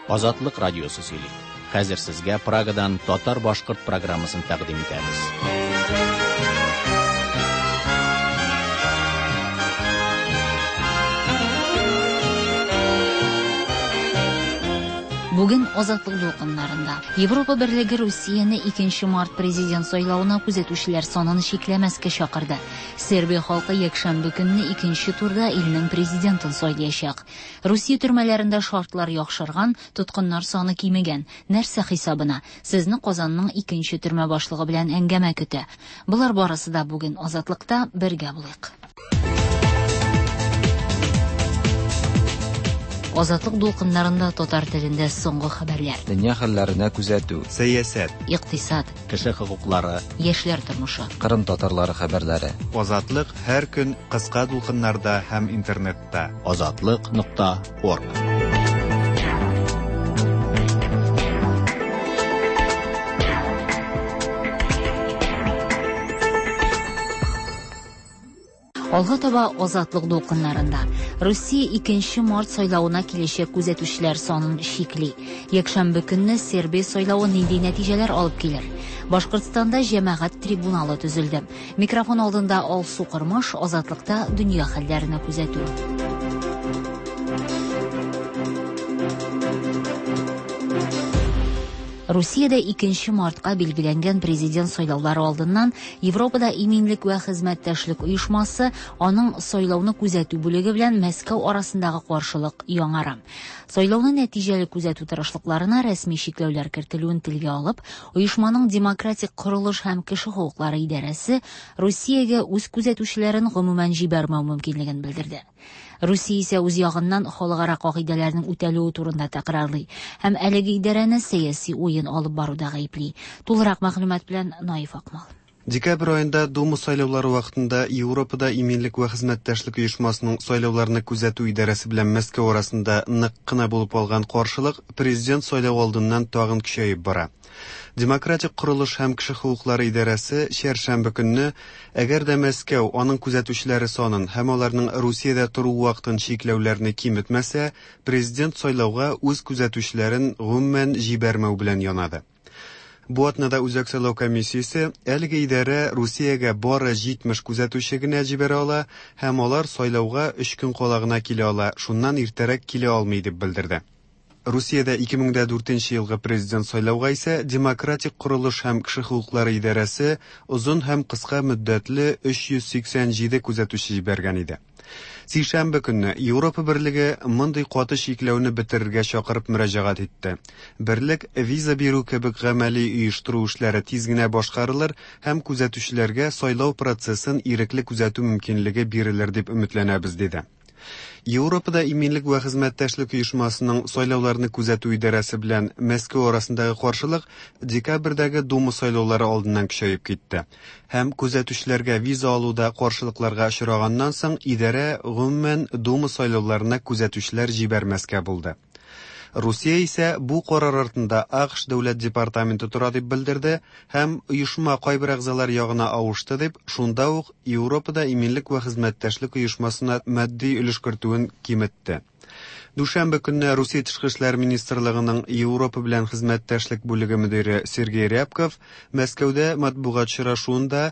Азатлык радиосы сөйли. Хәзер сезгә Прагадан татар-башкорт программасын тәкъдим итәбез. Бүген Азатлык дулкыннарында Европа Берлеге Русияне 2 март президент сайлавына күзәтүчеләр санын чикләмәскә чакырды. Сербия халкы якшәмбе көнне икенче турда илнең президентын сайлаячак. Русия төрмәләрендә шартлар яхшырган, тоткыннар саны кимегән. Нәрсә хисабына? Сезне Казанның икенче төрмә башлыгы белән әңгәмә көтә. Болар барысы да бүген Азатлыкта бергә булыйк. Азатлык дулкыннарында татар телендә соңгы хәбәрләр. Дөнья хәлләренә күзәтү. Сәясәт. Икътисад. Кеше хокуклары. Яшьләр тормышы. Кырым татарлары хәбәрләре. Азатлык һәр көн кыска дулкыннарда һәм интернетта. Азатлык.орг. Алга таба Азатлык дулкыннарында. Русия 2 март сайлавына киләчәк күзәтүчеләр санын чикли. Якшәмбе көнне Сербия сайлавы нинди нәтиҗәләр алып килер? Башкортстанда җәмәгать трибуналы төзелде. Микрофон алдында Алсу Кормаш, Азатлыкта дөнья хәлләренә күзәтү. Русиядә 2 мартка билгеләнгән президент сайлаулары алдыннан Европада иминлек вә хезмәттәшлек оешмасы аның сайлауны күзәтү бүлеге белән Мәскәү арасындагы каршылык яңара. Сайлауны нәтиҗәле күзәтү тырышлыкларына рәсми чикләүләр кертелүен телгә алып, оешманың демократик корылыш һәм кеше хокуклары идарәсе Русиягә үз күзәтүчеләрен гомумән җибәрмәү мөмкинлеген белдерде. Русия исә үз ягыннан халыкара кагыйдәләрнең үтәлүе турында тәкрарлый һәм әлеге идарәне сәяси уен алып баруда гаепли. Тулырак мәгълүмат белән Наиф Акмал. Декабрь аенда Дума сайлаулары вакытында Европада иминлек вә хезмәттәшлек оешмасының сайлауларны күзәтү идарәсе белән Мәскәү арасында нык кына булып алган каршылык президент сайлау алдыннан тагын көчәеп бара. Демократик корылыш һәм кеше хокуклары идарәсе чәршәмбе көнне, әгәр дә Мәскәү аның күзәтүчеләре санын һәм аларның Русиядә тору вакытын чикләүләрне киметмәсә, президент сайлауга үз күзәтүчеләрен гомумән җибәрмәү белән янады. Бу атнада Үзәк сайлау комиссиясе әлеге идарә Русиягә бары 70 күзәтүче генә җибәрә ала һәм алар сайлауга 3 көн кала гына килә ала, шуннан иртәрәк килә алмый дип белдерде. Русиядә 2004 елгы президент сайлауга исә Демократик корылыш һәм кеше хокуклары идарәсе озын һәм кыска мөддәтле 387 күзәтүче җибәргән иде. Сишәмбе көнне Европа Берлеге мондый каты чикләүне бетерергә чакырып мөрәҗәгать итте. Берлек виза бирү кебек гамәли оештыру эшләре тиз генә башкарылыр һәм күзәтүчеләргә сайлау процессын ирекле күзәтү мөмкинлеге бирелер дип өметләнәбез, диде. Европада иминлек вә хезмәттәшлек оешмасының сайлауларны күзәтү идарәсе белән Мәскәү арасындагы каршылык декабрьдәге Дума сайлаулары алдыннан көчәеп китте. Һәм күзәтүчеләргә виза алуда каршылыкларга очраганнан соң идарә гомумән Дума сайлауларына күзәтүчеләр җибәрмәскә булды. Русия исә бу карар артында АКШ дәүләт департаменты тора дип белдерде һәм оешма кайбер әгъзалар ягына авышты дип, шунда ук Европада иминлек вә хезмәттәшлек оешмасына матди өлеш кертүен киметте. Дүшәмбе көнне Русия тышкы эшләр министрлыгының Европа белән хезмәттәшлек бүлеге мөдире Сергей Рябков Мәскәүдә матбугат очрашуында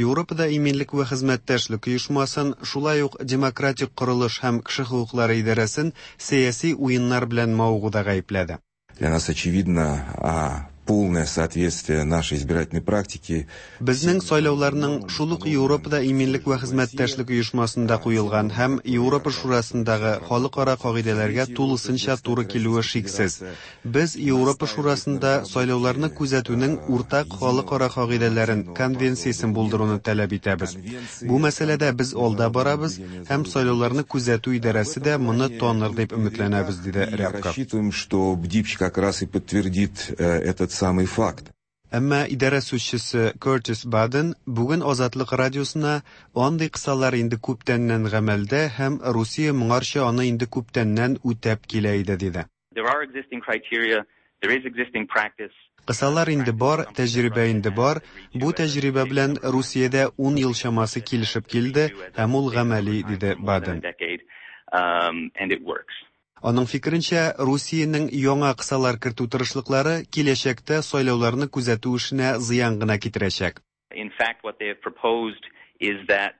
Европада иминлек вә хезмәттәшлек оешмасын, шулай ук демократик корылыш һәм кеше хокуклары идарәсен сәяси уеннар белән мавыгуда гаепләде. Для нас очевидно, полное соответствие нашей избирательной практике. Безнең сайлауларның шул ук Европада иминлек вә хезмәттәшлек оешмасында куелган һәм Европа Шурасындагы халыкара кагыйдәләргә тулысынча туры килүе шиксез. Без Европа Шурасында сайлауларны күзәтүнең уртак халыкара кагыйдәләрен, конвенциясен булдыруны таләп итәбез. Бу мәсьәләдә без алда барабыз һәм сайлауларны күзәтү идарәсе дә моны таныр дип өметләнәбез, диде Рябков. Рассчитываем, что БДИПЧ как раз и подтвердит этот самый факт. Әмма идарә сүзчесе Кертис Баден бүген Азатлык радиосына андый кысалар инде күптәннән гамәлдә һәм Русия моңарча аны инде күптәннән үтәп килә иде, диде. There are existing criteria, there is existing practice. Кысалар инде бар, тәҗрибә инде бар. Бу тәҗрибә белән Русиядә 10 ел чамасы килешеп килде һәм ул гамәли, диде Баден. And it works. Аның фикеренчә, Русиянең яңа кысалар кертү тырышлыклары киләчәктә сайлауларны күзәтү эшенә зыян гына китерәчәк. In fact, what they have proposed is that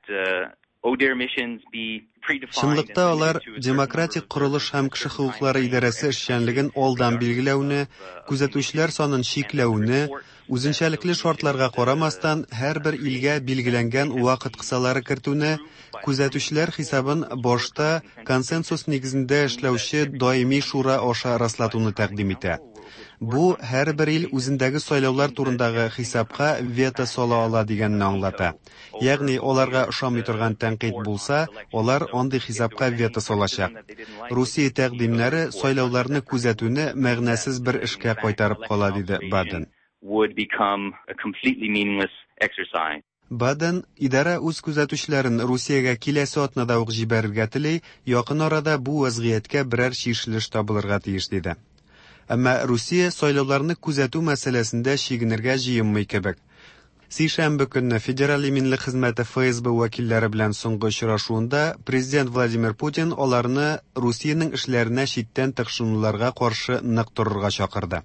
ODIHR missions be predefined. Чынлыкта алар Демократик корылыш һәм кеше хокуклары идарәсе эшчәнлеген алдан билгеләүне, күзәтүчеләр санын чикләүне, үзенчәлекле шартларга карамастан, һәрбер илгә билгеләнгән вакыт кысалары кертүне, күзәтүчеләр хисабын башта консенсус нигезендә эшләүче даими шура аша раслатуны тәкъдим итә. Бу һәрбер ил үзендәге сайлаулар турындагы хисапка вето сала ала дигәнне аңлата. Ягъни аларга ошамый торган тәнкыйть булса, алар андый хисапка вето салачак. Русия тәкъдимнәре сайлауларны күзәтүне мәгънәсез бер эшкә кайтарып кала, диде Баден. Would become a completely meaningless exercise. Баден, идарә үз күзәтүчеләрен Русиягә киләсе атнада ук җибәрергә тели, якын арада бу вазгыятькә берәр чишелеш табылырга тиеш, диде. Әмма Русия сайлауларны күзәтү мәсьәләсендә чигенергә җыенмый кебек. Сишәмбе көнне Федераль иминлек хезмәте ФСБ вәкилләре белән соңгы очрашуында президент Владимир Путин аларны Русиянең эшләренә читтән тыкшынуларга каршы нык торырга чакырды.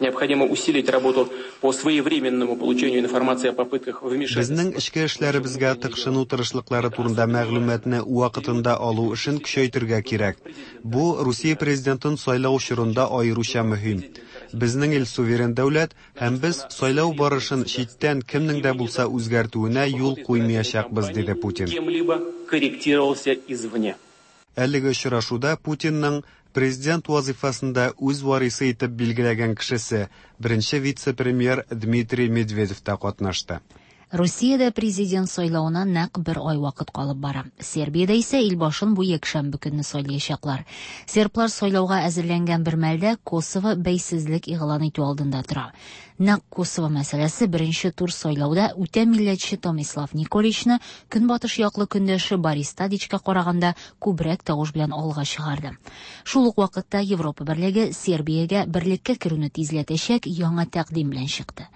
Необходимо усилить работу по своевременному получению информации о попытках вмешательства. Безнең эчке эшләребезгә тыкшыну тырышлыклары турында мәгълүматны вакытында алу эшен көчәйтергә кирәк. Бу Русия президентын сайлау чорында аеруча мөһим. Безнең ил суверен дәүләт һәм без сайлау барышын читтән кемнең дә булса үзгәртүенә юл куймаячакбыз, диде Путин. Кем-либо корректировался извне. Әлеге очрашуда Путинның президент вазифасында үз варисы итеп билгеләгән кешесе, беренче вице-премьер Дмитрий Медведев та катнашты. Русиядә президент сайлавына нәкъ бер ай вакыт калып бара. Сербиядә исә ил башын бу якшәмбе көнне сайлаячаклар. Серблар сайлауга әзерләнгән бер мәлдә Косово бәйсезлек игълан итү алдында тора. Нәкъ Косово мәсьәләсе беренче тур сайлауда үтә милләтче Томислав Николичны көнбатыш яклы көндәше Борис Тадичка караганда күбрәк тавыш белән алга чыгарды. Шул ук вакытта Европа берлеге Сербиягә берлеккә керүне тизләтәчәк яңа тәкъдим белән чыкты.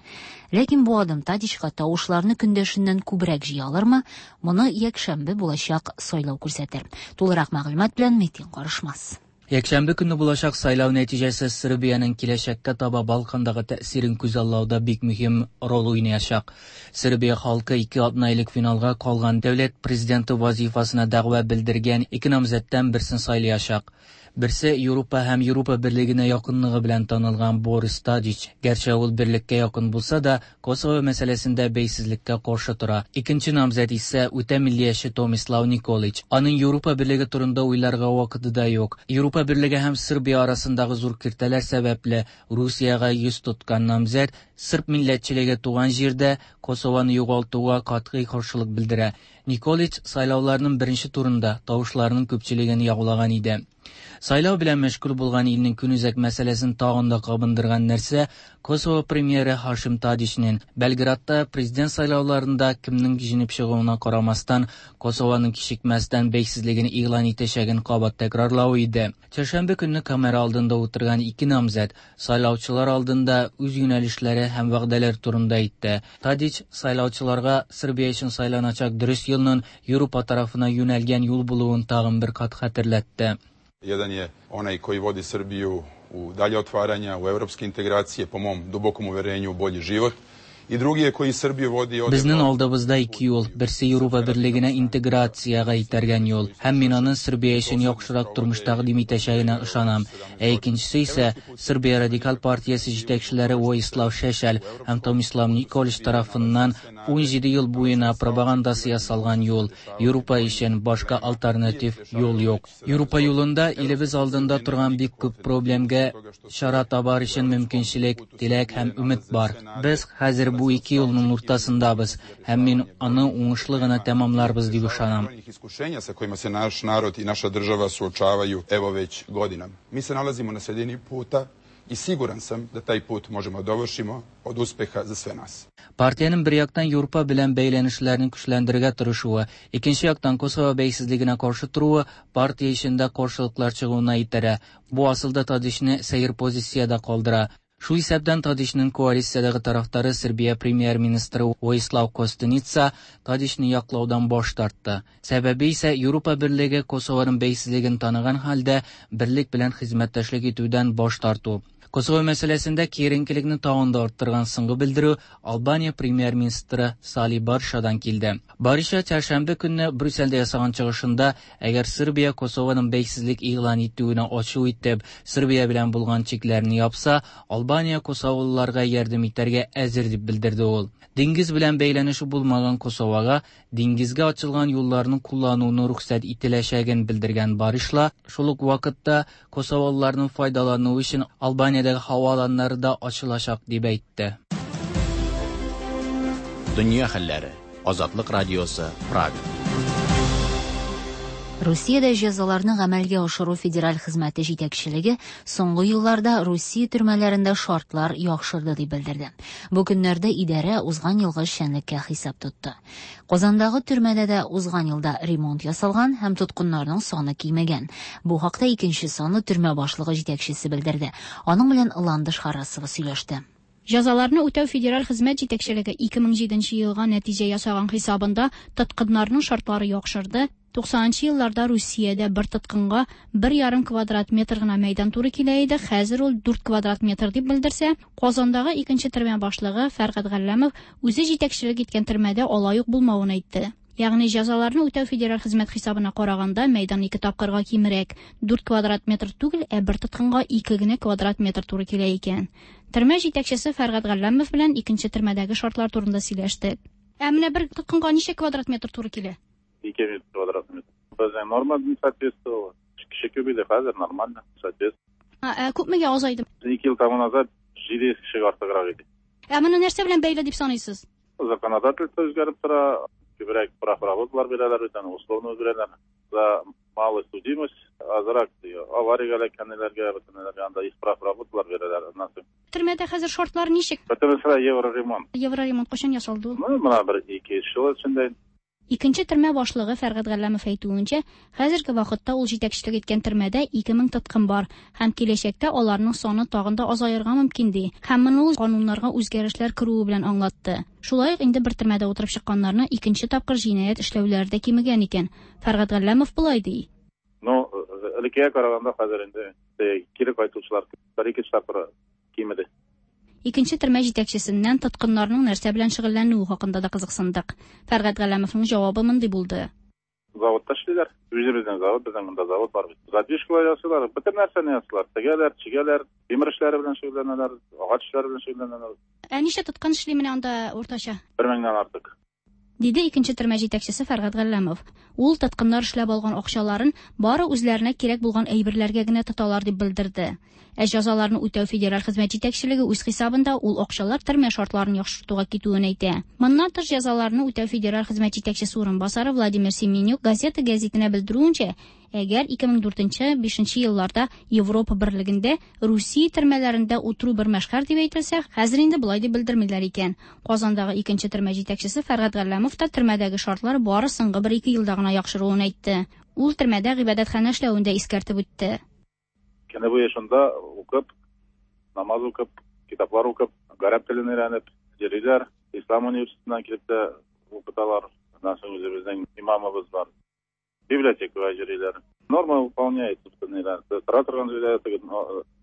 Ләкин бу адым Тадичка тавышларны көндәшеннән күбрәк җыя алырмы? Моны якшәмбе булачак сайлау күрсәтер. Тулырак мәгълүмат белән Метин Карышмас. Якшәмбе көнне булачак сайлау нәтиҗәсе Сербиянең киләчәккә таба Балкандагы тәэсирен күзаллауда бик мөһим роль уйнаячак. Сербия халкы 2 атна элек финалга калган дәүләт президенты вазифасына дәгъва белдергән ике намзәттән берсен сайлаячак. Берсе Европа һәм Европа берлегенә якынлыгы белән танылган Борис Тадич. Гәрчә ул берлеккә якын булса да, Косово мәсьәләсендә бәйсезлеккә каршы тора. Икенче намзәт исә үтә миллияче Томислав Николич. Аның Европа берлеге турында уйларга вакыты да юк. Европа берлеге һәм Сербия арасындагы зур киртәләр сәбәпле Русиягә йөз тоткан намзәт сырб милләтчелеге туган җирдә Косованы югалтуга катгый каршылык белдерә. Николич сайлауларның беренче турында тавышларның күпчелеген яулаган иде. Сайлау белән мәшгуль булган илнең көнүзәк мәсьәләсен тагын да кабындырган нәрсә Косово премьеры Хашим Тадичнең Белградта президент сайлауларында кемнең җиңеп чыгуына карамастан Косованың кичекмәстән бәйсезлеген игълан итәчәген кабат тәкрарлавы иде. Чәршәмбе көнне камера алдында утырган ике намзәт сайлаучылар алдында үз юнәлешләре һәм вәгъдәләр турында әйтте. Тадич сайлаучыларга Сербия өчен сайланачак дөрес юлның Европа тарафына юнәлгән юл булуын тагын бер кат хәтерләтте. Jedan je onaj koji vodi Srbiju u dalje otvaranja, u evropske integracije, po mom dubokom uverenju u bolji život. И drugi je koji Srbiju vodi od Безнең алдыбызда ике юл. Берсе Европа берлегенә интеграциягә итәргән юл. Һәм мин аның Сербия өчен яхшырак тормыш тәкъдим итәчәгенә ышанам. Ә икенчесе исә Сербия радикаль партиясе җитәкчеләре Воислав Шешель һәм Томислав Николич тарафыннан 17 ел буена пропагандасы ясалган юл. Европа өчен башка альтернатив юл юк. Европа юлында илебез алдында торган бик күп проблемга чара табар өчен мөмкинчелек, теләк һәм өмет бар. Без хәзер бу ике юлның уртасындабыз һәм мин аны уңышлы гына тәмамларбыз дип ышанам. Iskušenja sa kojima se naš narod i naša država suočavaju evo već godinama. Mi se nalazimo na sredini puta i siguran sam da taj put možemo dovršimo od uspeha za sve nas. Партиянең бер яктан Европа белән бәйләнешләрен көчләндерергә тырышуы, икенче яктан Косово бәйсезлегенә каршы торуы партия эчендә каршылыклар чыгуына этәрә. Бу асылда Тадичны сәер позициядә калдыра. Шул исәптән Тадичның коалициядәге тарафдары Сербия премьер-министры Воислав Костуница Тадичны яклаудан баш тартты. Сәбәбе исә Европа берлеге Косованың бәйсезлеген таныган хәлдә берлек белән хезмәттәшлек итүдән баш тарту. Косово мәсьәләсендә киеренкелекне тагын да арттырган соңгы белдерү Албания премьер-министры Сали Баршадан килде. Бариша чәршәмбе көнне Брюссельдә ясаган чыгышында, әгәр Сербия Косованың бәйсезлек игълан итүенә ачу итеп, Сербия белән булган чикләрне япса, Албания косоволыларга ярдәм итәргә әзер дип белдерде ул. Диңгез белән бәйләнеше булмаган Косовага диңгезгә ачылган юлларны куллануны рөхсәт ителәчәген белдергән Баришла, шул ук вакытта косоволыларның файдалануы өчен Албаниядәге һава аланнары да ачылачак дип әйтте. Дөнья хәлләре. Азатлык радиосы, Прага. Русиядә җәзаларны гамәлгә ашыру федераль хезмәте җитәкчелеге соңгы елларда Русия төрмәләрендә шартлар яхшырды дип белдерде. Бу көннәрдә идарә узган елгы эшчәнлеккә хисап тотты. Казандагы төрмәдә дә узган елда ремонт ясалган һәм тоткыннарның саны кимегән. Бу хакта икенче санлы төрмә башлыгы җитәкчесе белдерде. Аның белән Ландыш Харасова сөйләште. Җәзаларны үтәү федераль хезмәт җитәкчелеге 2007 елга нәтиҗә ясаган хисабында тоткыннарның шартлары яхшырды. 90 елларда Русиядә бер тоткынга 1,5 квадрат метр гына мәйдан туры килә иде, хәзер ул 4 квадрат метр дип белдерсә, Казандагы икенче төрмә башлыгы Фәргать Галләмов үзе җитәкчелек иткән төрмәдә алай ук булмавын әйтте. Ягъни җәзаларны үтәү федераль хезмәт хисабына караганда мәйдан 2 тапкырга кимрәк, 4 квадрат метр түгел, ә бер тоткынга 2 генә квадрат метр туры килә икән. Төрмә җитәкчесе Фәргать Галләмов белән икенче төрмәдәге шартлар турында сөйләштек. Ә менә бер тоткынга ничә квадрат метр туры килә? 2 квадрат метр. Безнең норма не соответствовала. Кеше күп иде, хәзер нормально, соответствует. Ә күпмегә азайды? 2 ел тому назад 700 кешегә артыграк иде. Ә моны нәрсә белән бәйле дип саныйсыз? Законодательство үзгәреп тора, күбрәк прав работалар бирәләр бит, аны условно бирәләр. За малая судимость, азрак авариягә эләккәннәргә, бөтенләргә анда исправ работалар бирәләр. Аннан соң Төрмәдә хәзер шартлар ничек? Бөтенесе евроремонт. Евроремонт кайчан ясалды ул? Ну, менә бер 2 ел эчендә. Икенче төрмә башлыгы Фәргать Галләмов әйтүенчә, хәзерге вакытта ул җитәкчелек иткән төрмәдә 2000 тоткын бар һәм киләчәктә аларның саны тагын да азаерга мөмкин ди. Һәм моны ул кануннарга үзгәрешләр керүе белән аңлатты. Шулай ук инде бер төрмәдә утырып чыкканнарны икенче тапкыр җинаять эшләүләре дә кимегән икән. Фәргать Галләмов болай ди. Ну, элеккегә караганда хәзер инде кире кайтучылар бер-ике тапкыр кимеде. Икенче төрмә җитәкчесеннән тоткыннарның нәрсә белән шөгыльләнүе хакында да кызыксындык. Фәргать Галләмовның җавабы мондый булды. Заводта эшлиләр. Үзебезнең завод, безнең монда завод бар бит. Задвижкалар ясыйлар, бөтен нәрсәне ясыйлар. Тегәләр, чигәләр, тимер эшләре белән шөгыльләнәләр, агач эшләре белән шөгыльләнәләр. Ә ничә тоткын эшли менә анда уртача? 1000-нән артык. Диде икенче төрмә җитәкчесе Фәргать Галләмов. Ул тоткыннар эшләп алган акчаларын бары үзләренә кирәк булган әйберләргә генә тоталар дип белдерде. Ә җәзаларны үтәү федераль хезмәт җитәкчелеге үз хисабында ул акчалар төрмә шартларын яхшыртуга китүен әйтә. Моннан тыш җәзаларны үтәү федераль хезмәт җитәкчесе урынбасары Владимир Семенюк газета гәзитенә белдерүенчә, әгәр 2004-5 елларда Европа берлегендә Русия төрмәләрендә утыру бер мәшһәр дип әйтелсә, хәзер инде болай дип белдермиләр икән. Казандагы икенче төрмә җитәкчесе Фәргать Галләмов та төрмәдәге шартлар бары соңгы 1-2 елда гына яхшыруын әйтте. Ул төрмәдә гыйбадәтханә эшләвен дә искәртеп үтте. Көне буе шунда укып, намаз укып, китаплар укып, гарәп телен өйрәнеп йөриләр. Ислам университетыннан килеп тә укыталар. Аннан соң үзебезнең имамыбыз бар. Библиотекага йөриләр. Норма выполняется, тора торган җирдә,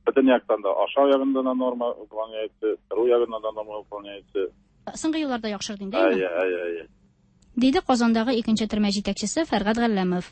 бөтен яктан да, ашау ягында да норма выполняется, тору ягында да норма выполняется. Соңгы елларда яхшырды инде, әйеме? Әйе, әйе, әйе. Диде Казандагы икенче төрмә җитәкчесе Фәргать Галләмов.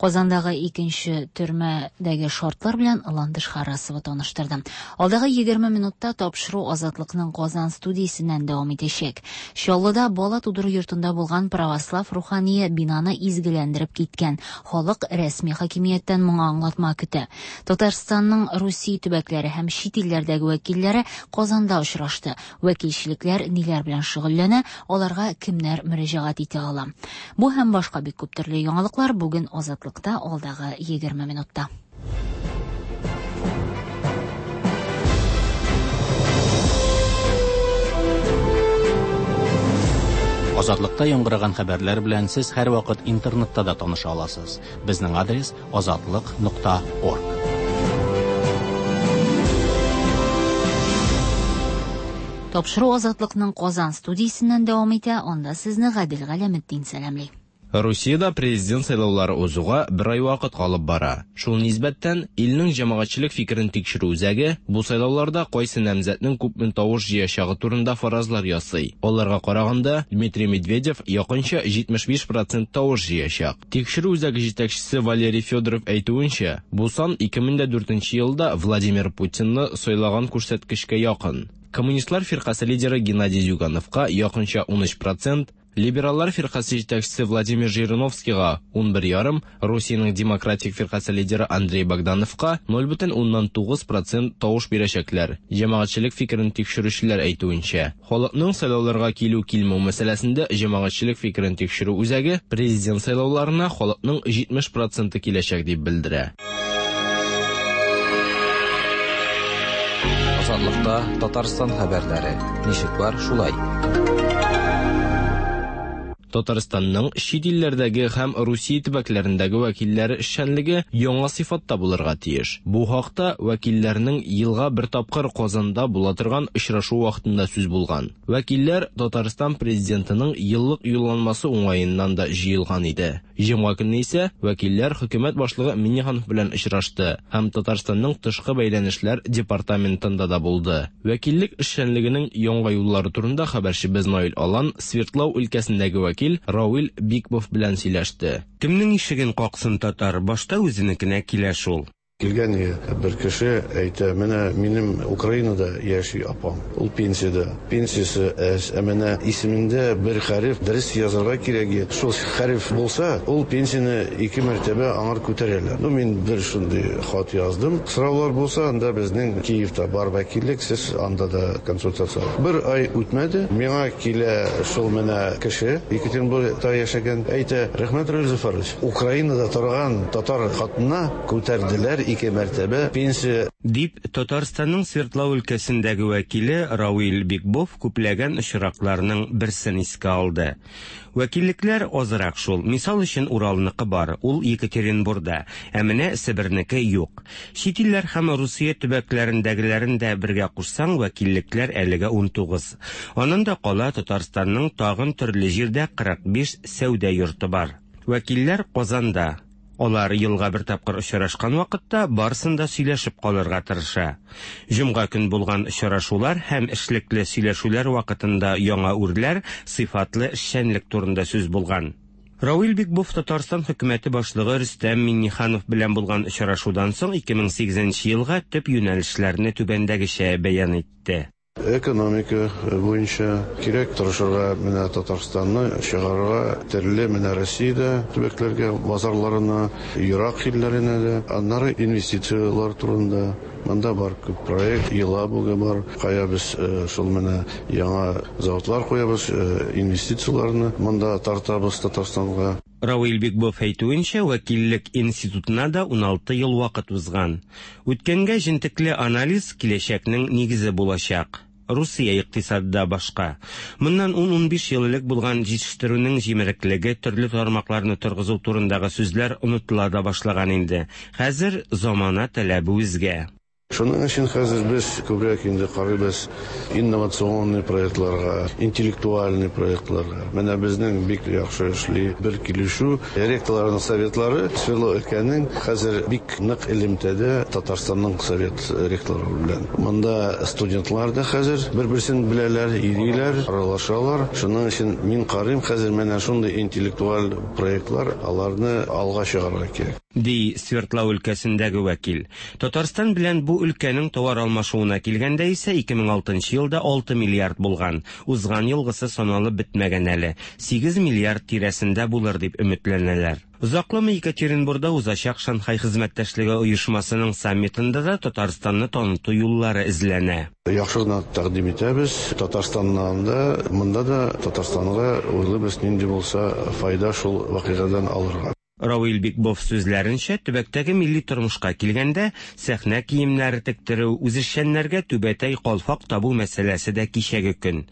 Казандагы икенче төрмәдәге шартлар белән Ландыш Харасова таныштырды. Алдагы 20 минутта тапшыру Азатлыкның Казан студиясеннән дәвам итәчәк. Чаллыда бала тудыру йортында булган православ рухание бинаны изгеләндереп киткән. Халык рәсми хакимияттән моңа аңлатма көтә. Татарстанның Русия төбәкләре һәм чит илләрдәге вәкилләре Казанда очрашты. Вәкилчелекләр ниләр белән шөгыльләнә, аларга кемнәр мөрәҗәгать итә ала. Бу һәм башка бик күп төрле яңалыклар бүген Азатлык алдагы 20 минутта. Азатлыкта яңгыраган хәбәрләр белән сез һәрвакыт интернетта да таныша аласыз. Безнең адрес azatliq.org. Тапшыру Азатлыкның Казан студиясеннән дәвам итә, анда сезне Гадел Галәметдин сәламли. Русиядә президент сайлаулары узуга бер ай вакыт калып бара. Шул нисбәттән, илнең җәмәгатьчелек фикерен тикшерү үзәге бу сайлауларда кайсы намзәтнең күпме тавыш җыячагы турында фаразлар ясый. Аларга караганда, Дмитрий Медведев якынча 75 процент тавыш җыячак. Тикшерү үзәге җитәкчесе Валерий Федоров әйтүенчә, бу сан 2004 елда Владимир Путинны сайлаган күрсәткечкә якын. Коммунистлар фиркасе лидеры Геннадий Зюгановка якынча 13 процент, Либераллар фиркасе җитәкчесе Владимир Жириновскийга 11,5, Русиянең Демократик фиркасе лидеры Андрей Богдановка 0,9 процент тавыш бирәчәкләр. Җәмәгатьчелек фикерен тикшерүчеләр әйтүенчә, халыкның сайлауларга килү-килмәү мәсьәләсендә җәмәгатьчелек фикерен тикшерү үзәге президент сайлауларына халыкның 70 проценты киләчәк дип белдерә. Азатлыкта Татарстан хәбәрләре. Ничек бар, шулай. Татарстанның чит илләрдәге һәм Русия төбәкләрендәге вәкилләре эшчәнлеге яңа сыйфатта булырга тиеш. Бу хакта вәкилләрнең елга бер тапкыр Казанда була торган очрашу вакытында сүз булган. Вәкилләр Татарстан президентының еллык юлланмасы уңаеннан да җыелган иде. Җомга көнне исә вәкилләр хөкүмәт башлыгы Миңнеханов белән очрашты һәм Татарстанның тышкы бәйләнешләр департаментында да булды. Вәкиллек эшчәнлегенең яңа юллары турында хәбәрчебез Наил Алан Свердлау өлкәсендәге вәкил Равил Бикбов белән сөйләште. Кемнең ишеген каксын татар, башта үзенекенә килә шул. Килгән бер кеше әйтә, менә минем Украинада яши апам, ул пенсиядә. Пенсиясе әз, ә менә исемендә бер хәреф дөрес язарга кирәк. Шул хәреф булса, ул пенсияне ике мәртәбә аңар күтәрәләр. Ну, мин бер шундый хат яздым. Сораулар булса, анда безнең Киевта бар вәкиллек, сез анда да консультация. Бер ай үтмәде, миңа килә шул менә кеше, Екатеринбургта яшәгән, әйтә, рәхмәт, Равил Зөфәрович, Украинада торган татар хатынына күтәрделәр ике мәртәбә пенсия. Дип, Татарстанның Свердлау өлкәсендәге вәкиле Равил Бикбов күпләгән очракларның берсен искә алды. Вәкиллекләр азрак шул. Мисал өчен Уралныкы бар, ул Екатеринбурда, ә менә Себернеке юк. Чит илләр һәм Русия төбәкләрендәгеләрен дә бергә кушсаң, вәкиллекләр әлегә 19. Аннан да кала Татарстанның тагын төрле җирдә 45 сәүдә йорты бар. Вәкилләр Казанда. Алар елга бер тапкыр очрашкан вакытта барысын да сөйләшеп калырга тырыша. Җомга көн булган очрашулар һәм эшлекле сөйләшүләр вакытында яңа үрләр, сыйфатлы эшчәнлек турында сүз булган. Равил Бикбов Татарстан хөкүмәте башлыгы Рөстәм Миңнеханов белән булган очрашудан соң 2008 елга төп юнәлешләрне түбәндәгечә бәян итте. Экономика буенча кирәк тырышырга, менә Татарстанны чыгарырга төрле менә Россиядә төбәкләргә, базарларына, ерак илләренә дә, аннары инвестицияләр турында. Монда бар күп проект, Елабуга бар, кая без шул менә яңа заводлар куябыз, инвестицияләрне монда тартабыз Татарстанга. Равил Бикбов әйтүенчә, вәкиллек институтына да 16 ел вакыт узган. Үткәнгә җентекле анализ киләчәкнең нигезе булачак. Русия икътисады башка. Моннан 10-15 ел элек булган җитештерүнең җимереклеге, төрле тармакларны торгызу турындагы сүзләр онытыла да башлаган инде. Хәзер замана таләбе үзгә. Шуның өчен хәзер без күбрәк инде карыйбыз инновационный проектларга, интеллектуальный проектларга. Менә безнең бик яхшы эшли бер килешү. Ректорларның советлары Свердлов өлкәнең хәзер бик нык элемтәдә Татарстанның совет ректорлары белән. Монда студентлар да хәзер бер-берсен беләләр, йөриләр, аралашалар. Шуның өчен мин карыйм хәзер менә шундый интеллектуаль проектлар, аларны алга чыгарырга кирәк. Ди Свердлов өлкәсендәге вәкил. Татарстан белән бу өлкәнең товар алмашуына килгәндә исә 2006 елда 6 миллиард булган. Узган елгысы саналып бетмәгән әле. 8 миллиард тирәсендә булыр дип өметләнәләр. Озакламый Екатеринбургда узачак Шанхай хезмәттәшлеге оешмасының саммитында да Татарстанны таныту юллары эзләнә. Яхшы гына тәкъдим итәбез. Татарстаннан да, монда да Татарстанга уйлыйбыз, нинди булса файда шул вакыйгадан алырга. Равил Бикбов сүзләренчә, төбәктәге милли тормышка килгәндә, сәхнә киемнәре тектерү, үзешчәннәргә түбәтәй калфак табу мәсьәләсе дә кичәге көн.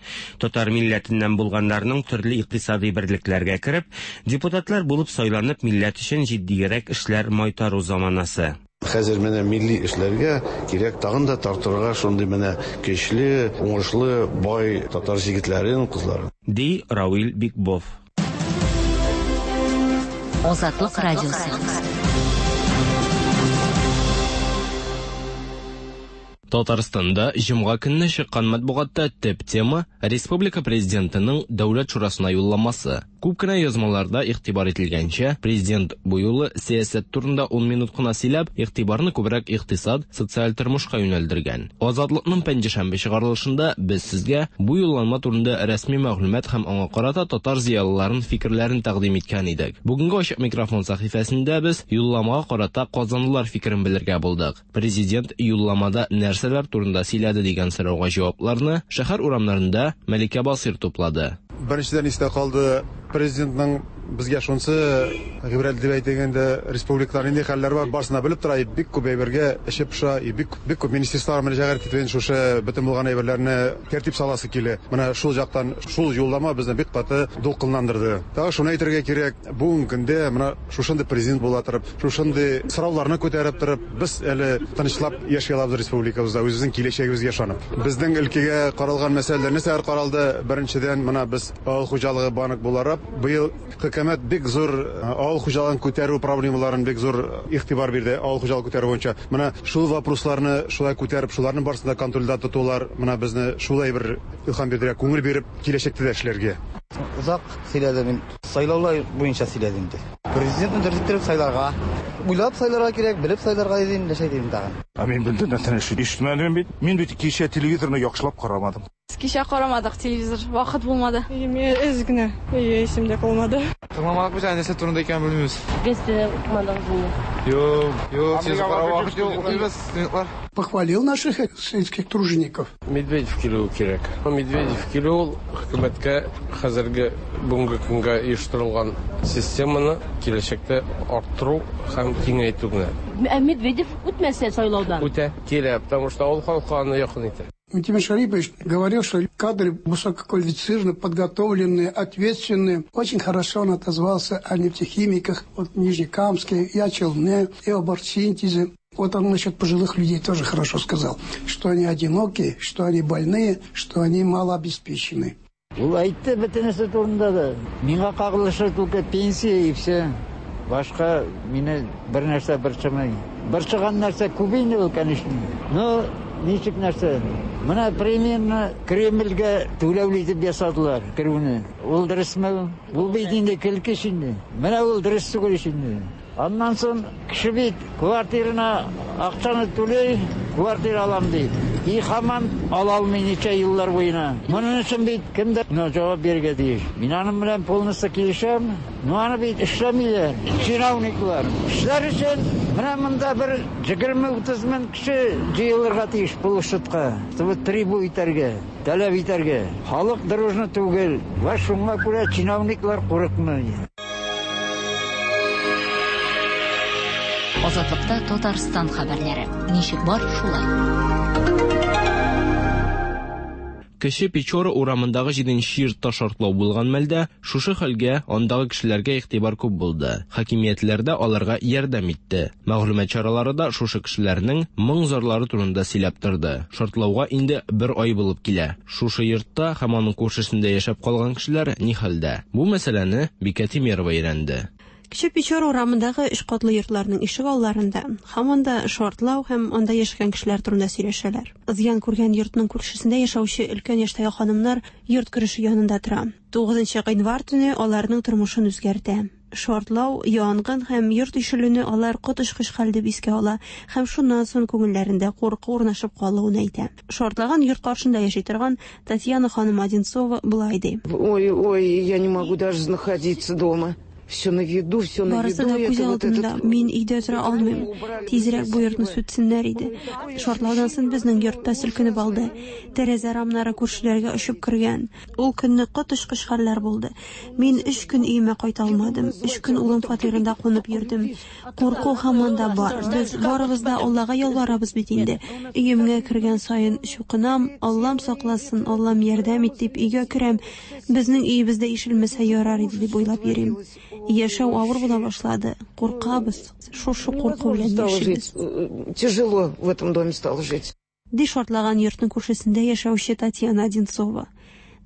Татар милләтеннән булганнарның төрле икътисади берлекләргә кереп, депутатлар булып сайланып, милләт өчен җитдиерәк эшләр майтару заманасы. Хәзер менә милли эшләргә кирәк тагын да тартырга шундый менә көчле, уңышлы, бай татар җегетләрен, кызларын. Ди Равил Бикбов. Азатлык радиосы. Татарстанда җомга көнне чыккан матбугатта төп тема республика президентының Дәүләт шурасына юлламасы. Күп кенә язмаларда игътибар ителгәнчә, президент бу юлы сәясәт турында 10 минут кына сөйләп, игътибарны күбрәк икътисад, социаль тормышка юнәлдергән. Азатлыкның пәнҗешәмбе чыгарылышында без сезгә бу юлланма турында рәсми мәгълүмат һәм аңа карата татар зыялыларын фикерләрен тәкъдим иткән идек. Бүгенге ачык микрофон сәхифәсендә без юлламага карата казанлылар фикерен белергә булдык. Президент юлламада нәрсәләр турында сөйләде дигән сорауга җавапларны шәһәр урамнарында Мәликә Басыйр туплады. Беренчедән истә калды президентның безгә шунысы гыйбрәт дип әйтик инде, республикада нинди хәлләр бар, барысын да белеп тора, и бик күп әйбергә эче поша, и бик, бик күп министерстволарга мөрәҗәгать итеп инде шушы бөтен булган әйберләрне тәртип саласы килә. Менә шул жактан шул юллама безне бик каты дулкынландырды. Тагы шуны әйтергә кирәк, бүгенге көндә менә шушындый президент була торып, шушындый сорауларны күтәреп торып, без әле тынычлап яши алабыз республикабызда, үзебезнең киләчәгебезгә ышанып. Безнең өлкәгә каралган мәсьәләләр нәрсәләр каралды? Беренчедән, менә без авыл хуҗалыгы банк буларак, быел хөкүмәт бик зур авыл хуҗалыгын күтәрү проблемаларын бик зур игътибар бирде, авыл хуҗалыгы күтәрү буенча. Менә шул вопросларны шулай күтәреп, шуларның барысын да контрольдә тотулар, менә безне шулай бер илһам бирдерә, күңел биреп киләчәктә дә эшләргә. Озак сөйләде мин. Сайлаулар буенча сөйләде инде. Президентны дөрес иттереп сайларга. Уйлап сайларга кирәк, белеп сайларга диде инде, нәрсә дим тагын. Ә мин белдем, нәрсәне ишетмәдем бит. Мин бит кичә телевизорны яхшылап карамадым. Кичә карамадык телевизор, вакыт булмады. Мин әз генә, исемдә калмады. Тыңламадык без, нәрсә турында икәнен белмибез. Газета укымадыгыз инде. Юк, юк, телевизор карау вакыт юк, укыйбыз, студентлар. Похвалил наших сельских тружеников. Медведев килүе кирәк. Медведев килү ул хөкүмәткә хәзерге бүгенге көнгә оештырылган системаны киләчәктә арттыру һәм киңәйтү генә. Ә Медведев үтмәсә сайлаудан? Үтә, килә, потому что ул халыкка аны якын итә. Минтимер Шарипович говорил, что кадры высококвалифицированные, подготовленные, ответственные. Очень хорошо он отозвался о нефтехимиках, вот в Нижнекамске, и о Челне, и об оргсинтезе. Вот он насчет пожилых людей тоже хорошо сказал, что они одинокие, что они больные, что они малообеспечены. Ул әйтте бөтенесе турында да. Миңа кагылышы только пенсия и все. Башка мине бер нәрсә борчымый. Борчыган нәрсә күп инде ул, конечно. Но ничек нәрсә? Менә примерно Кремльгә түләүле итеп ясадылар керүне. Ул дөресме? Ул бит инде көлке инде. Менә ул дөрес түгел инде. Аннан соң кеше бит квартирына акчаны түләй, квартира алам ди. И һаман ала алмый ничә еллар буена. Моның өчен бит кемдер җавап бирергә тиеш. Мин аның белән полностью килешәм. Но аны бит эшләмиләр, чиновниклар. Эшләр өчен менә монда бер 20-30 мең кеше җыелырга тиеш площадька, чтобы трибу итәргә, таләп итәргә. Халык дружно түгел. Вә шуңа күрә чиновниклар курыкмый. Азатлыкта Татарстан хәбәрләре. Ничек бар, шулай. Кече Печора урамындагы 7нче йортта шартлау булган мәлдә шушы хәлгә андагы кешеләргә игътибар күп булды. Хакимиятләр дә аларга ярдәм итте. Мәгълүмат чаралары да шушы кешеләрнең моң-зарлары турында сөйләп торды. Шартлауга инде бер ай булып килә. Шушы йортта һәм аның күршесендә яшәп калган кешеләр ни хәлдә? Бу мәсьәләне Бикә Тимерова өйрәнде. Кече Печора урамындагы өч катлы йортларның ишек алларында һаман да шартлау һәм анда яшәгән кешеләр турында сөйләшәләр. Зыян күргән йортның күршесендә яшәүче өлкән яшьтәге ханымнар йорт кереше янында тора. 9 гыйнвар төне аларның тормышын үзгәртә. Шартлау, янгын һәм йорт ишелүне алар коточкыч хәл дип искә ала һәм шуннан соң күңелләрендә курку урнашып калуын әйтә. Шартлаган йорт каршында яши торган Татьяна ханым Одинцова болай ди. Ой, ой, я не могу даже находиться дома. Все на виду, все на Барысы виду. да күз Это вот алдында. этот... Мин өйдә тора алмыйм. Тизрәк бу йортны сүтсеннәр иде. Шартлаудан соң безнең йортта селкенеп алды. Тәрәзә рамнары күршеләргә очып кергән. Ул көнне коточкыч хәлләр булды. Мин 3 көн өемә кайта алмадым. 3 көн улым фатирында кунып йөрдем. Курку һаман да бар. Без барыбыз да Аллага ялварабыз бит инде. Өемгә кергән саен чукынам, Аллам сакласын, Аллам ярдәм ит дип өйгә керәм. Безнең өебездә ишелмәсә ярар иде дип уйлап йөрим. Яшәү авыр була башлады. Куркабыз. Шушы курку белән яшибез. Тяжело в этом доме стало жить. Ди шартлаган йортның күршесендә яшәүче Татьяна Одинцова.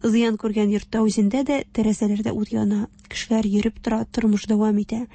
Зыян күргән йортта үзендә дә тәрәзәләрдә ут яна, кешеләр йөреп тора, тормыш дәвам итә.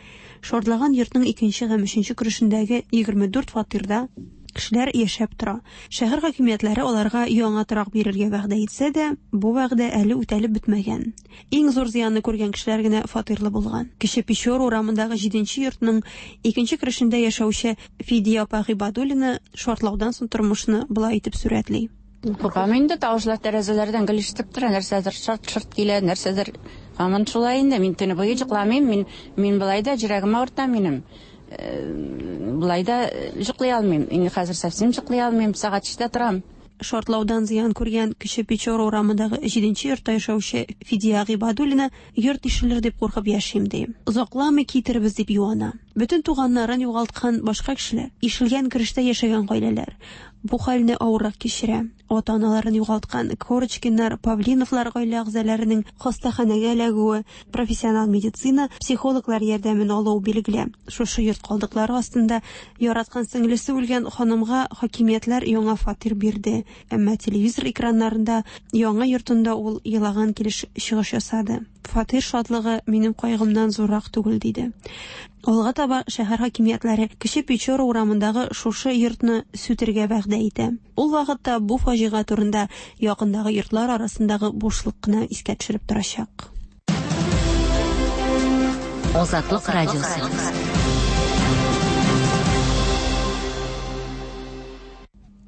Шартлаган йортның икенче һәм өченче керешендәге 24 фатирда кешеләр яшәп тора. Шәһәр хакимиятләре аларга яңа торак бирергә вәгъдә итсә дә, бу вәгъдә әле үтәлеп бетмәгән. Иң зур зыянны күргән кешеләр генә фатирлы булган. Кече Печора урамындагы җиденче йортның икенче керешендә яшәүче Фидия апа Гыйбадуллина шартлаудан соң тормышны болай итеп сурәтли. Куркам инде, тавышлар тәрәзәләрдән гел ишетеп тора, нәрсәдер шарт-шорт килә, нәрсәдер. Һаман шулай инде, мин төне буе йокламыйм, мин, мин болай да йөрәгем авырта минем. Болай да йоклый алмыйм. Инде хәзер совсем йоклый алмыйм, сәгать өчтә торам. Шартлаудан зыян күргән Кече Печора урамындагы җиденче йортта яшәүче Фидия Гыйбадуллина йорт ишелер дип куркып яшим, ди. Озакламый китербез дип юана. Бөтен туганнарын югалткан башка кешеләр, ишелгән керештә яшәгән гаиләләр бу хәлне авыррак кичерә. Ата-аналарын югалткан Корочкиннар, Павлиновлар гаилә әгъзаларының хастаханәгә эләгүе, профессионал медицина, психологлар ярдәмен алуы билгеле. Шушы йорт калдыклары астында яраткан сеңлесе үлгән ханымга хакимиятләр яңа фатир бирде. Әмма телевизор экраннарында яңа йортында ул елаган килеш чыгыш ясады. Фатир шатлыгы минем кайгымнан зуррак түгел, диде. Алга таба шәһәр хакимиятләре Кече Печора урамындагы шушы йортны сүтергә вәгъдә итә. Ул вакытта бу фаҗига турында якындагы йортлар арасындагы бушлык кына искә төшереп торачак. Азатлык радиосы.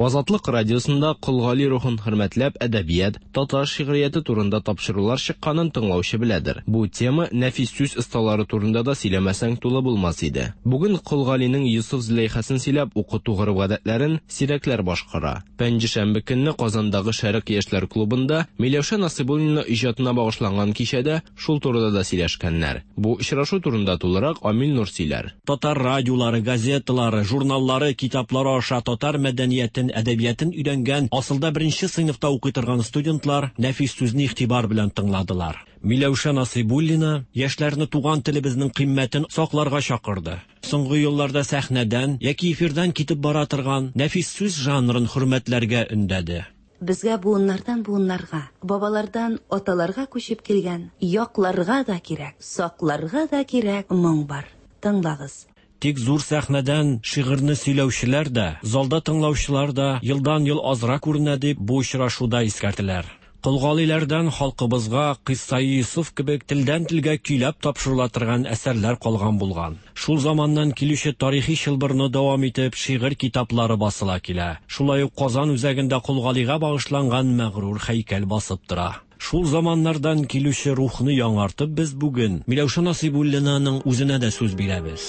Азатлык радиосында Кол Гали рухын хөрмәтләп әдәбият, татар шигърияте турында тапшырулар чыкканын тыңлаучы беләдер. Бу тема нәфис сүз осталары турында да сөйләмәсәң тулы булмас иде. Бүген Кол Галинең Йосыф Зөләйхасын сөйләп укыту гореф-гадәтләрен сирәкләр башкара. Пәнҗешәмбе көнне Казандагы Шәрык яшьләр клубында Миләүшә Насыйбуллина иҗатына багышланган кичәдә шул турыда да сөйләшкәннәр. Бу очрашу турында тулырак Амил Нур сөйләр. Татар радиолары, газеталары, журналлары, китаплары аша татар мәдәниятен, әдәбиятын өйрәнгән, асылда беренче сыйныфта укый торган студентлар нәфис сүзне игътибар белән тыңладылар. Миләүшә Насыйбуллина яшьләрне туган телебезнең кыйммәтен сакларга чакырды. Соңгы елларда сәхнәдән яки эфирдан китеп бара торган нәфис сүз жанрын хөрмәтләргә өндәде. Безгә буыннардан буыннарга, бабалардан аталарга күчеп килгән, якларга да кирәк, сакларга да кирәк моң бар. Тыңлагыз. Тик зур сәхнәдән шигырьне сөйләүчеләр дә, залда тыңлаучылар да елдан-ел азрак күренә дип бу очрашуда искәртеләр. Кол Галиләрдән халкыбызга Кыйссаи Йосыф кебек телдән-телгә көйләп тапшырыла торган әсәрләр калган булган. Шул заманнан килүче тарихи чылбырны дәвам итеп шигырь китаплары басыла килә. Шулай ук Казан үзәгендә Кол Галигә багышланган мәгърур һәйкәл басып тора. Шул заманнардан килүче рухны яңартып без бүген Миләүшә Насыйбуллинаның үзенә дә сүз бирәбез.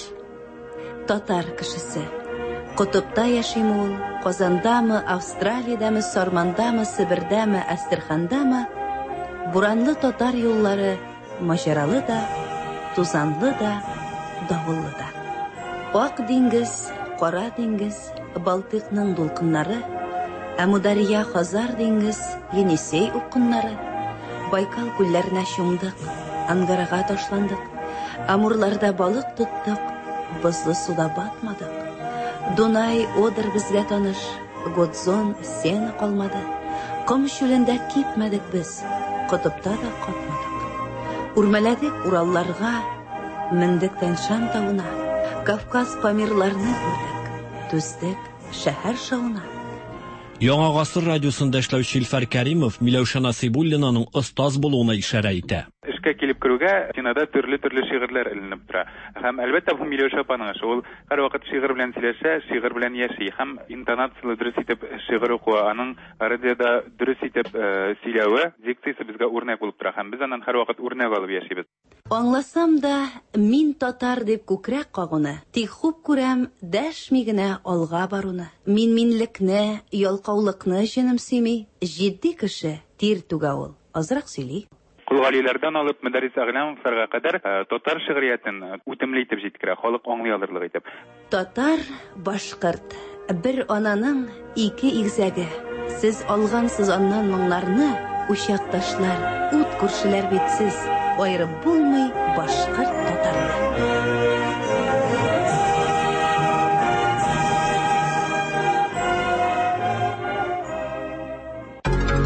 Татар кешесе. Котыпта яшиме ул, Казандамы, Австралиядәме, Сармандамы, Себердәме, Әстерхандамы, буранлы татар юллары маҗаралы да, тузанлы да, давыллы да. Ак диңгез, Кара диңгез, Балтыйкның дулкыннары, Әмударья, Хазар диңгез, Енисей упкыннары, Байкал күлләренә чумдык, Ангарага ташландык, Амурларда балык тоттык, бозлы суда батмадык. Дунай, Одер безгә таныш, Гудзон, Сена калмады. Ком чүлендә кипмәдек без, котыпта да катмадык. Үрмәләдек Уралларга, мендек Тянь-Шань тавына, Кавказ Памирларны күрдек, түздек шәһәр шавына. Яңа гасыр радиосында эшләүче Илфар Кәримов Миләүшә Насыйбуллинаның остаз булуына ишарә итә. Эшкә килеп керүгә стенада төрле-төрле шигырьләр эленеп тора. Һәм, әлбәттә, бу Миләүшә апаның эше. Ул һәрвакыт шигырь белән сөйләшә, шигырь белән яши. Һәм интонацияле дөрес итеп шигырь укуы, аның радиода дөрес итеп сөйләве, дикциясе безгә үрнәк булып тора. Һәм без аннан һәрвакыт үрнәк алып яшибез. Аңласам да, мин татар дип күкрәк кагуны, тик хуп күрәм дәшми генә алга баруны. Мин-минлекне, ялкаулыкны җенем сөйми, җитди кеше тир түгә ул, азрак сөйли. Кол Галиләрдән алып Мөдәррис Әгъләмовларга кадәр татар шигъриятен үтемле итеп җиткерә, халык аңлый алырлык итеп. Татар, башкорт, бер ананың ике игезәге. Сез алгансыз аннан моңнарны, учакташлар, ут күршеләр бит сез. Аерып булмый башкорт татарны.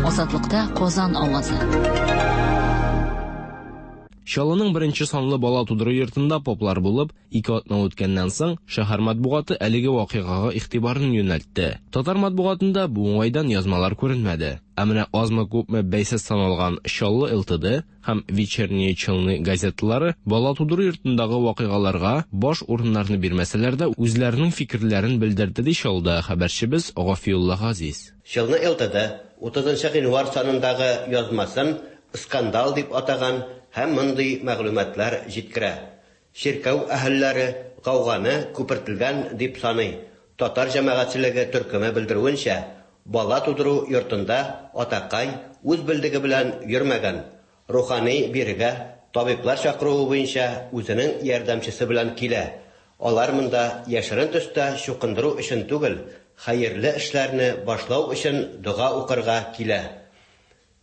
Азатлыкта Казан авазы. Чаллының беренче санлы бала тудыру йортында поплар булып, ике атна үткәннән соң, шәһәр матбугаты әлеге вакыйгага игътибарын юнәлтте. Татар матбугатында бу уңайдан язмалар күренмәде. Ә менә азмы-күпме бәйсез саналган Чаллы ЛТД һәм Вечерние Челны газеталары бала тудыру йортындагы вакыйгаларга баш урыннарны бирмәсәләр дә, үзләренең фикерләрен белдерде, ди Чаллыдагы хәбәрчебез Гафиулла Газиз. Челны ЛТД 30 нчы гыйнвар санындагы язмасын скандал дип атаган һәм мондый мәгълүматлар җиткерә. Чиркәү әһелләре гауганы күпертелгән дип саный. Татар җәмәгатьчелеге төркеме белдерүенчә, бала тудыру йортында атакай үз белдеге белән йөрмәгән. Рухани бирегә табиблар чакыруы буенча үзенең ярдәмчесе белән килә. Алар монда яшерен төстә чукындыру өчен түгел, хәерле эшләрне башлау өчен дога укырга килә.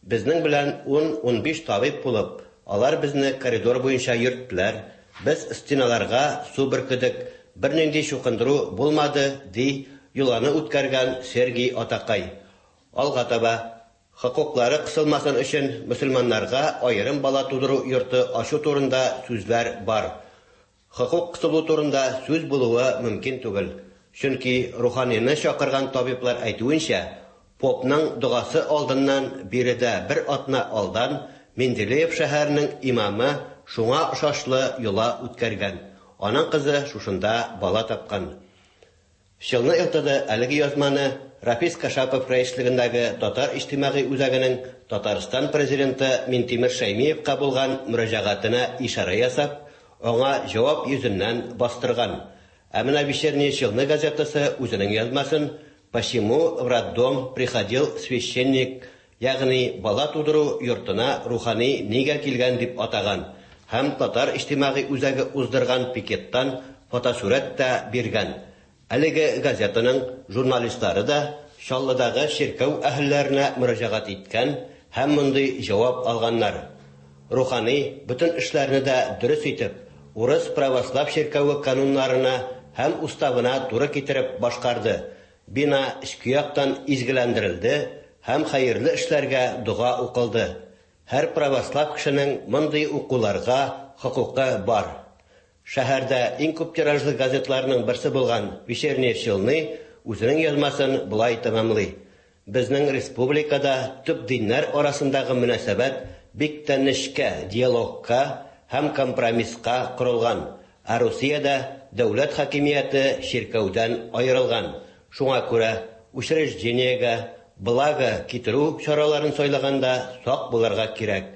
Безнең белән ун-унбиш табиб булып, алар безне коридор буенча йөрттеләр, без стеналарга су бөркедек, бернинди чукындыру булмады, ди йоланы үткәргән Сергий атакай. Алга таба, хокуклары кысылмасын өчен мөселманнарга аерым бала тудыру йорты ачу турында сүзләр бар. Хокук кысылу турында сүз булуы мөмкин түгел, чөнки руханины чакырган табиблар әйтүенчә, попның догасы алдыннан биредә бер атна алдан Менделеев шәһәренең имамы шуңа ошашлы йола үткәргән, аның кызы шушында бала тапкан. Челны ЛТД әлеге язманы Рафис Кашапов рәислегендәге Татар иҗтимагый үзәгенең Татарстан президенты Минтимер Шәймиевка булган мөрәҗәгатенә ишарә ясап, аңа җавап йөзеннән бастырган. Ә менә Вечерние Челны газетасы үзенең язмасын Почему в роддом приходил священник, ягъни бала тудыру йортына рухани нигә килгән дип атаган һәм Татар иҗтимагый үзәге уздырган пикеттан фотосурәт тә биргән. Әлеге газетаның журналистлары да Чаллыдагы чиркәү әһелләренә мөрәҗәгать иткән һәм мондый җавап алганнар. Рухани бөтен эшләрне дә дөрес итеп, урыс православ чиркәве кануннарына һәм уставына туры китереп башкарды, бина эчке яктан изгеләндерелде һәм хәерле эшләргә дога укылды. Һәр православ кешенең мондый укуларга хокукы бар. Шәһәрдә иң күп тиражлы газетларның берсе булган Вечерние Челны үзенең язмасын болай тәмамлый, Безнең республикада төп диннәр арасындагы мөнәсәбәт бик тә нечкә, диалогка һәм компромисска корылган, ә Русиядә дәүләт хакимияте чиркәүдән аерылган, шуңа күрә учреждениегә благо китерү чараларын сайлаганда сак булырга кирәк.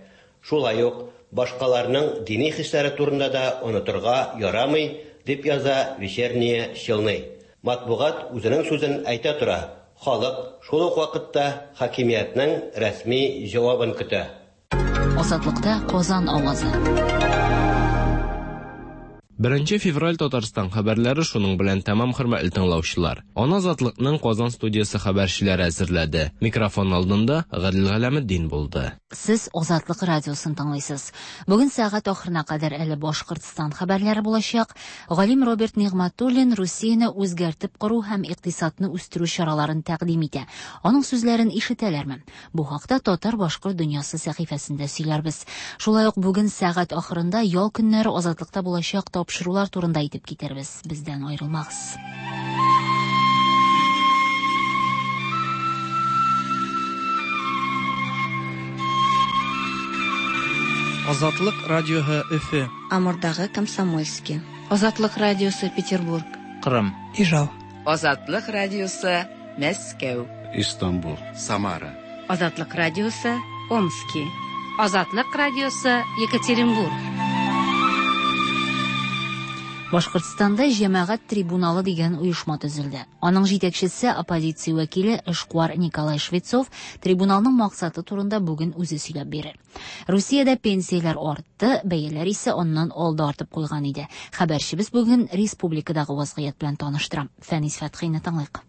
Шулай ук башкаларның дини хисләре турында да онытырга ярамый, дип яза Вечерние Челны. Матбугат үзенең сүзен әйтә тора, халык шул ук вакытта хакимиятнең рәсми җавабын көтә. Азатлыкта Казан авазы. Беренче февраль Татарстан хәбәрләре шуның белән тәмам, хөрмәтле тыңлаучылар. Аны Азатлыкның Казан студиясе хәбәрчеләре әзерләде. Микрофон алдында Гадел Галәметдин булды. Сез Азатлык радиосын тыңлыйсыз. Бүген сәгать ахырына кадәр әле Башкортстан хәбәрләре булачак. Галим Роберт Нигъмәтуллин Русияне үзгәртеп кору һәм икътисадны үстерү чараларын тәкъдим итә. Аның сүзләрен ишетәләрме? Бу хакта Татар-башкорт дөньясы сәхифәсендә сөйләрбез. Шулай ук бүген сәгать ахырында ял көннәре Азатлыкта булачак тапшырулар турында әйтеп китербез. Бездән аерылмагыз. Азатлык радиоһы Өфе. Амурдагы Комсомольский. Азатлык радиосы Петербург. Кырым. Ижау. Азатлык радиосы Мәскәү. Истанбул. Самара. Азатлык радиосы Омски. Азатлык радиосы Екатеринбург. Башкортстанда җәмәгать трибуналы дигән оешма төзелде. Аның җитәкчесе оппозиция вәкиле эшкуар Николай Швецов трибуналның максаты турында бүген үзе сөйләп бирер. Русиядә пенсияләр артты, бәяләр исә аннан алда артып куйган иде. Хәбәрчебез бүген республикадагы вазгыять белән таныштыра. Фәнис Фәтхине тыңлыйк.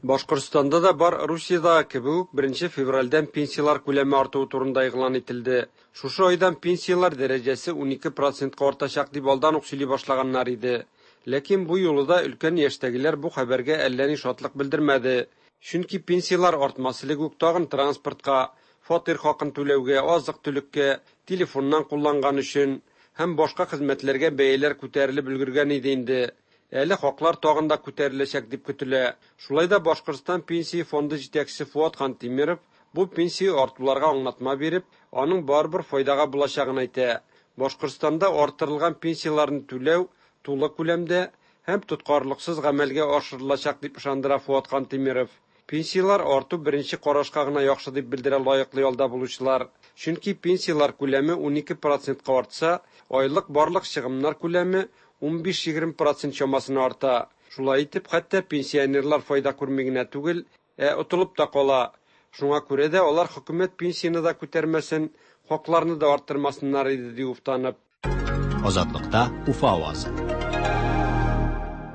Башкортстанда да бар Русиядәге кебек үк беренче февральдән пенсияләр күләме артуы турында игълан ителде. Шушы айдан пенсияләр дәрәҗәсе 12 процентка артачак дип алдан ук сөйли башлаганнар иде. Ләкин бу юлы да өлкән яшьтәгеләр бу хәбәргә әллә ни шатлык белдермәде. Чөнки пенсияләр артмас элек үк тагын транспортка, фатир хакын түләүгә, азык-төлеккә, телефоннан кулланган өчен һәм башка хезмәтләргә бәяләр күтәрелеп өлгергән иде инде. Әле хаклар тагын да күтәреләчәк дип көтелә. Шулай да Башкортстан Пенсия фонды җитәкчесе Фуат Хантимиров бу пенсия артуларга аңлатма биреп, аның барыбер файдага булачагын әйтә. Башкортстанда арттырылган пенсияләрне түләү тулы күләмдә һәм тоткарлыксыз гамәлгә ашырылачак дип ышандыра Фуат Хантимиров. Пенсияләр арту беренче карашка гына яхшы дип белдерә лаеклы ялда булучылар. Чөнки пенсияләр күләме 12 процентка артса, айлык барлык чыгымнар күләме 15-20 процент чамасына арта. Шулай итеп, хәтта пенсионерлар файда күрми генә түгел, ә отылып та кала. Шуңа күрә дә алар хөкүмәт пенсияне дә күтәрмәсен, хакларны да арттырмасыннар иде, ди уфтанып. Азатлыкта Уфа авазы.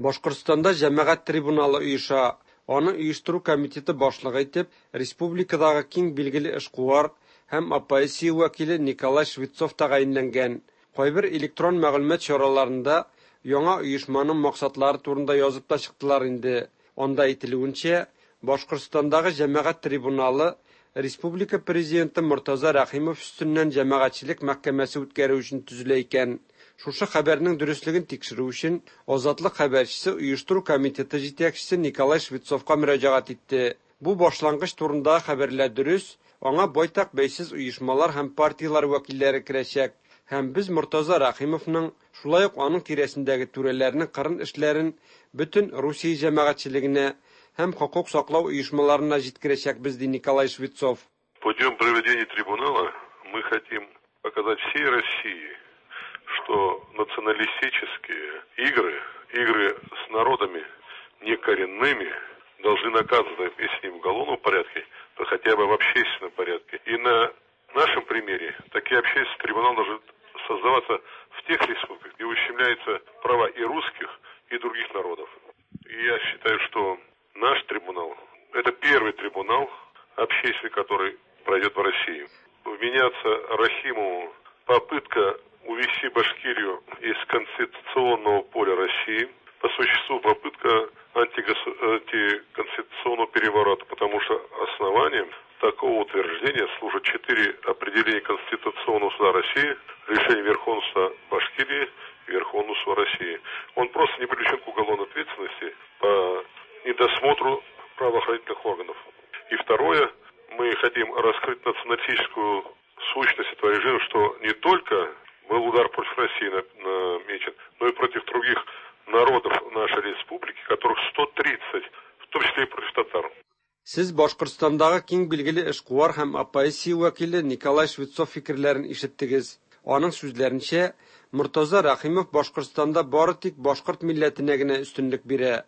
Башкортстанда җәмәгать трибуналы оеша. Аны оештыру комитеты башлыгы итеп республикадагы киң билгеле эшкуар һәм оппозиция вәкиле Николай Швецов тәгаенләнгән. Кайбер электрон мәгълүмат чараларында яңа оешманың максатлары турында язып та чыктылар инде. Анда әйтелүенчә, Башкортстандагы җәмәгать трибуналы республика президенты Мортаза Рәхимов өстеннән җәмәгатьчелек мәхкәмәсе үткәрү өчен төзелә икән. Шушы хәбәрнең дөреслеген тикшерү өчен Азатлык хәбәрчесе оештыру комитеты җитәкчесе Николай Швецовка мөрәҗәгать итте. Бу башлангыч турындагы хәбәрләр дөрес, аңа байтак бәйсез оешмалар һәм партияләр вәкилләре керәчәк. Һәм без Мортаза Рәхимовның, шулай ук аның тирәсендәге түрәләрнең кырын эшләрен бөтен Русия җәмәгатьчелегенә һәм хокук саклау оешмаларына җиткерәчәкбез, ди Николай Швецов. Путем проведения трибунала мы хотим показать всей России, что националистические игры, игры с народами некоренными, должны наказываться, если не в уголовном порядке, то хотя бы в общественном порядке. И на нашем примере такие общественные трибуналы должны создаваться в тех республиках, где ущемляются права и русских, и других народов. И я считаю, что наш трибунал – это первый трибунал общественный, который пройдет в России. Вменяться Рахимову попытка увести Башкирию из конституционного поля России, по существу попытка антиконституционного переворота, потому что основанием такого утверждения служат четыре определения Конституционного суда России, решение Верховного суда Башкирии и Верховного суда России. Он просто не привлечен к уголовной ответственности по недосмотру правоохранительных органов. И второе, мы хотим раскрыть националистическую сущность этого режима, что не только был удар против России намечен, но и против других народов нашей республики, которых 130, в том числе и против татар. Сез Башкортстандагы киң билгеле эшкуар һәм оппозиция вәкиле Николай Швецов фикерләрен ишеттегез. Аның сүзләренчә, Мортаза Рәхимов Башкортстанда бары тик башкорт милләтенә генә өстенлек бирә.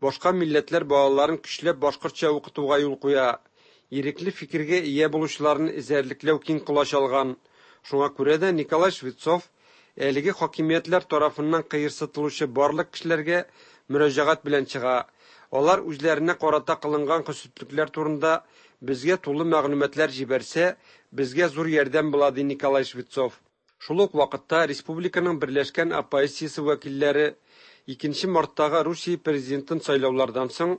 Башка милләтләр балаларын көчләп башкортча укытуга юл куя. Ирекле фикергә ия булучыларны эзәрлекләү киң колач алган. Шуңа күрә дә Николай Швецов әлеге хакимиятләр тарафыннан кыерсытылучы барлык кешеләргә мөрәҗәгать белән чыга. Алар үзләренә карата кылынган хөсетлекләр турында безгә тулы мәгълүматлар җибәрсә, безгә зур ярдәм була, ди Николай Швецов. Шул ук вакытта республиканың берләшкән оппозициясе вәкилләре 2 марттагы Русия президентын сайлаулардан соң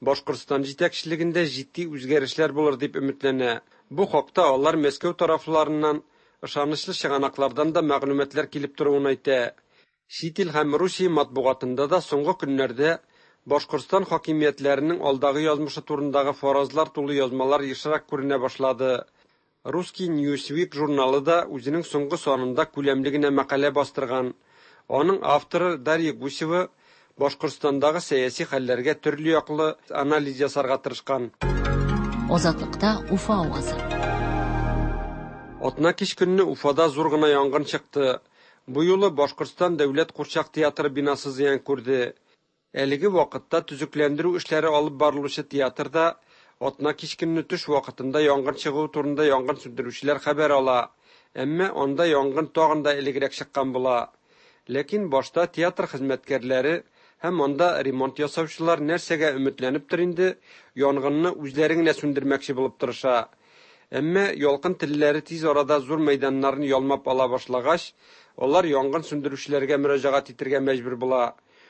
Башкортстан җитәкчелегендә җитди үзгәрешләр булыр дип өметләнә. Бу хакта алар Мәскәү тарафларыннан ышанычлы чыганаклардан да мәгълүматлар килеп торуын әйтә. Чит ил һәм Русия матбугатында да соңгы көннәрдә Башкортстан хакимиятләренең алдагы язмышы турындагы фаразлар тулы язмалар ешрак күренә башлады. Русский Newsweek журналы да үзенең соңгы санында күләмле генә мәкалә бастырган. Аның авторы Дарья Гусева Башкортстандагы сәяси хәлләргә төрле яклы анализ ясарга тырышкан. Азатлыкта Уфа авазы. Атна кич көнне Уфада зур гына янгын чыкты. Бу юлы Башкортстан дәүләт курчак театры бинасы зыян күрде. Әлеге вакытта төзекләндерү эшләре алып барылучы театрда атна кич көнне төш вакытында янгын чыгуы турында янгын сүндерүчеләр хәбәр ала. Әмма анда янгын тагын да элегрәк чыккан була. Ләкин башта театр хезмәткәрләре Һәм анда ремонт ясаучылар нәрсәгә өметләнептер инде, янгынны үзләре генә сүндермәкче булып тырыша. Әмма ялкын телләре тиз арада зур мәйданнарны ялмап ала башлагач, алар янгын сүндерүчеләргә мөрәҗәгать итәргә мәҗбүр була.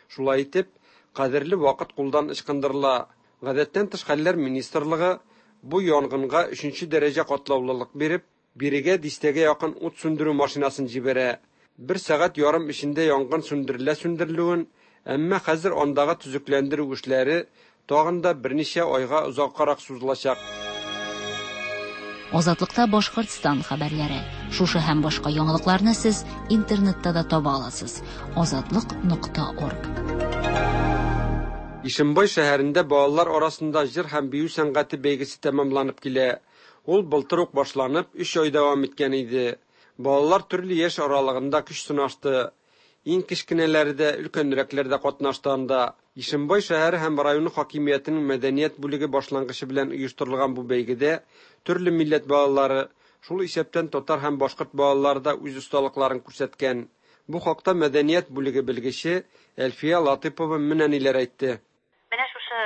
Шулай итеп, кадерле вакыт кулдан ычкындырыла. Гадәттән тыш хәлләр министрлыгы бу янгынга өченче дәрәҗә катлаулылык биреп, бирегә дистәгә якын ут сүндерү машинасын җибәрә. Бер сәгать ярым эчендә янгын сүндерелә сүндерелүен, әмма хәзер андагы төзекләндерү эшләре тагын да берничә айга озаккарак сузылачак. Азатлыкта Башкортстан хәбәрләре. Шушы һәм башка яңалыкларны сез интернетта да таба аласыз. Азатлык.орг. Ишембай шәһәрендә балалар арасында җыр һәм бию сәнгате бәйгесе тәмамланып килә. Ул былтыр ук башланып, өч ай дәвам иткән иде. Балалар төрле яшь аралыгында көч сынашты. Иң кечкенәләре дә, өлкәнрәкләр дә катнашты анда. Ишембай шәһәре һәм районы хакимиятенең мәдәният бүлеге башлангычы белән оештырылган бу бәйгедә төрле милләт балалары, шул исәптән татар һәм башкорт балалары да үз осталыкларын күрсәткән. Бу хакта мәдәният бүлеге белгече Әлфия Латыпова менә ниләр әйтте. Менә шушы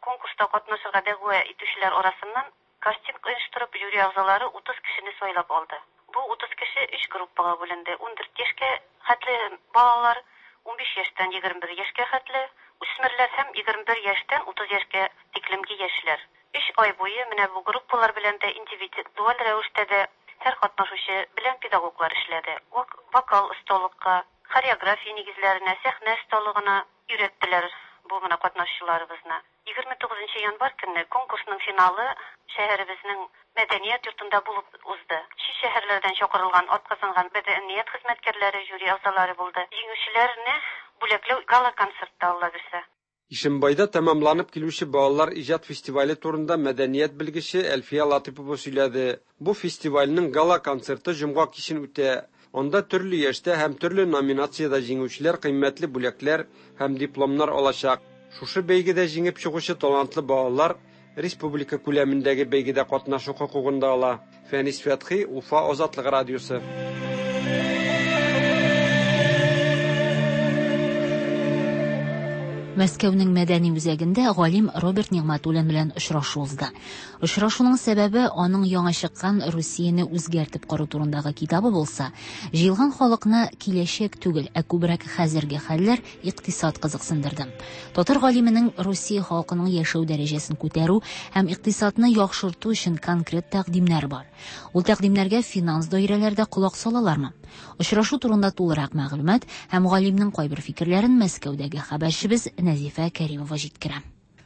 конкурста катнашырга дәгъва итүчеләр арасыннан кастинг оештырып, жюри әгъзалары 30 кешене сайлап алды. Бу 30 кеше өч группага бүленде, 14 яшькә хәтле балалар, 15 яшьтән 21 яшькә хәтле үсмерләр һәм 21 яшьтән 30 яшькә тиклемге яшьләр. Өч ай буе менә бу группалар белән дә индивидуаль рәвештә дә һәр катнашучы белән педагоглар эшләде. Вокал осталыкка, хореография нигезләренә, сәхнә осталыгына өйрәттеләр бу менә катнашучыларыбызны. 29 январь көнне конкурсның финалы шәһәребезнең мәдәният йортында булып узды. Чит шәһәрләрдән чакырылган атказанган мәдәният хезмәткәрләре, жюри әгъзалары булды. Җиңүчеләрне бүләкләү гала-концертта, Алла бирсә. Ишембайда тәмамланып килүче балалар иҗат фестивале турында мәдәният белгече Әлфия Латыпова сөйләде. Бу фестивальнең гала-концерты җомга кичен үтә. Анда төрле яшьтә һәм төрле номинациядә җиңүчеләр кыйммәтле бүләкләр һәм дипломнар алачак. Шушы бәйгедә җиңеп чыгучы талантлы балалар республика күләмендәге бәйгедә катнашу хокукын да ала. Фәнис Фәтхи, Уфа Азатлык радиосы. Мәскәүнең мәдәни үзәгендә галим Роберт Нигъмәтуллин белән очрашу узды. Очрашуның сәбәбе аның яңа чыккан Русияне үзгәртеп кору турындагы китабы булса, җыелган халыкны киләчәк түгел, ә күбрәк хәзерге хәлләр, икътисад кызыксындырды. Татар галименең Русия халкының яшәү дәрәҗәсен күтәрү һәм икътисадны яхшырту өчен конкрет тәкъдимнәре бар. Ул тәкъдимнәргә финанс даирәләре дә колак салалармы? Очрашу турында тулырак мәгълүмат һәм галимнең кайбер фикерләрен Мәскәүдәге хәбәрчебез Нәзифә Кәримова җиткерә.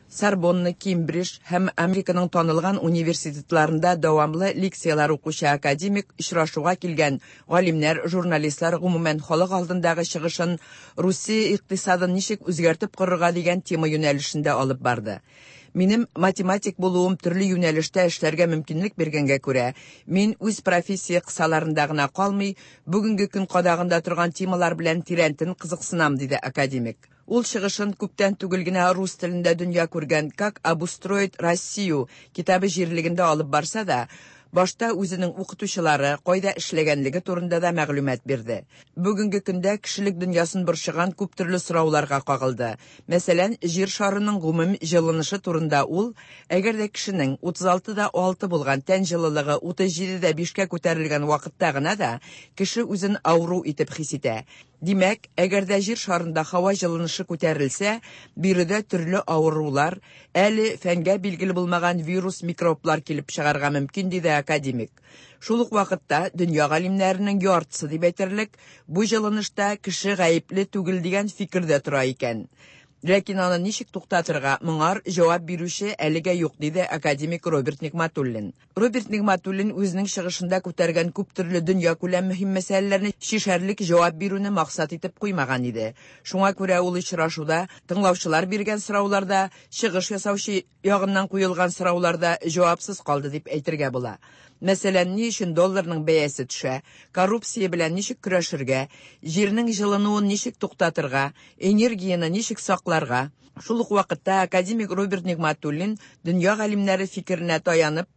Сорбонна, Кембридж һәм Американың танылган университетларында дәвамлы лекцияләр укучы академик очрашуга килгән галимнәр, журналистлар, гомумән халык алдындагы чыгышын Русия икътисадын ничек үзгәртеп корырга дигән тема юнәлешендә алып барды. Минем математик булуым төрле юнәлештә эшләргә мөмкинлек биргәнгә күрә, мин үз профессия кысаларында гына калмый, бүгенге көн кадагында торган темалар белән тирәнтен кызыксынам, диде академик. Ул чыгышын күптән түгел генә рус телендә дөнья күргән «Как обустроить Россию» китабы җирлегендә алып барса да, башта үзенең укытучылары, кайда эшләгәнлеге турында да мәгълүмат бирде. Бүгенге көндә кешелек дөньясын борчыган күп төрле сорауларга кагылды. Мәсәлән, җир шарының гомум җылынышы турында ул, әгәр дә кешенең 36,6 булган тән җылылыгы 37,5-кә күтәрелгән вакытта гына да кеше үзен авыру итеп хис итә. Димәк, әгәр дә җир шарында һава җылынышы күтәрелсә, биредә төрле авырулар, әле фәнгә билгеле булмаган вирус, микроблар килеп чыгарга мөмкин, диде академик. Шул ук вакытта дөнья галимнәренең яртысы дип әйтерлек, бу җылынышта кеше гаепле түгел дигән фикердә тора икән. Ләкин аны ничек туктатырга, моңар җавап бирүче әлегә юк, диде академик Роберт Нигъмәтуллин. Роберт Нигъмәтуллин үзенең чыгышында күтәргән күп төрле дөнья күләм мөһим мәсьәләләрне чишәрлек җавап бирүне максат итеп куймаган иде. Шуңа күрә ул очрашуда тыңлаучылар биргән сорауларда, чыгыш ясаучы ягыннан куелган сорауларда җавапсыз калды дип әйтергә була. Мәсәлән, ни өчен долларның бәясе төшә, коррупция белән ничек көрәшергә, җирнең җылынуын ничек туктатырга, энергияне ничек сакларга. Шул ук вакытта академик Роберт Нигъмәтуллин дөнья галимнәре фикеренә таянып,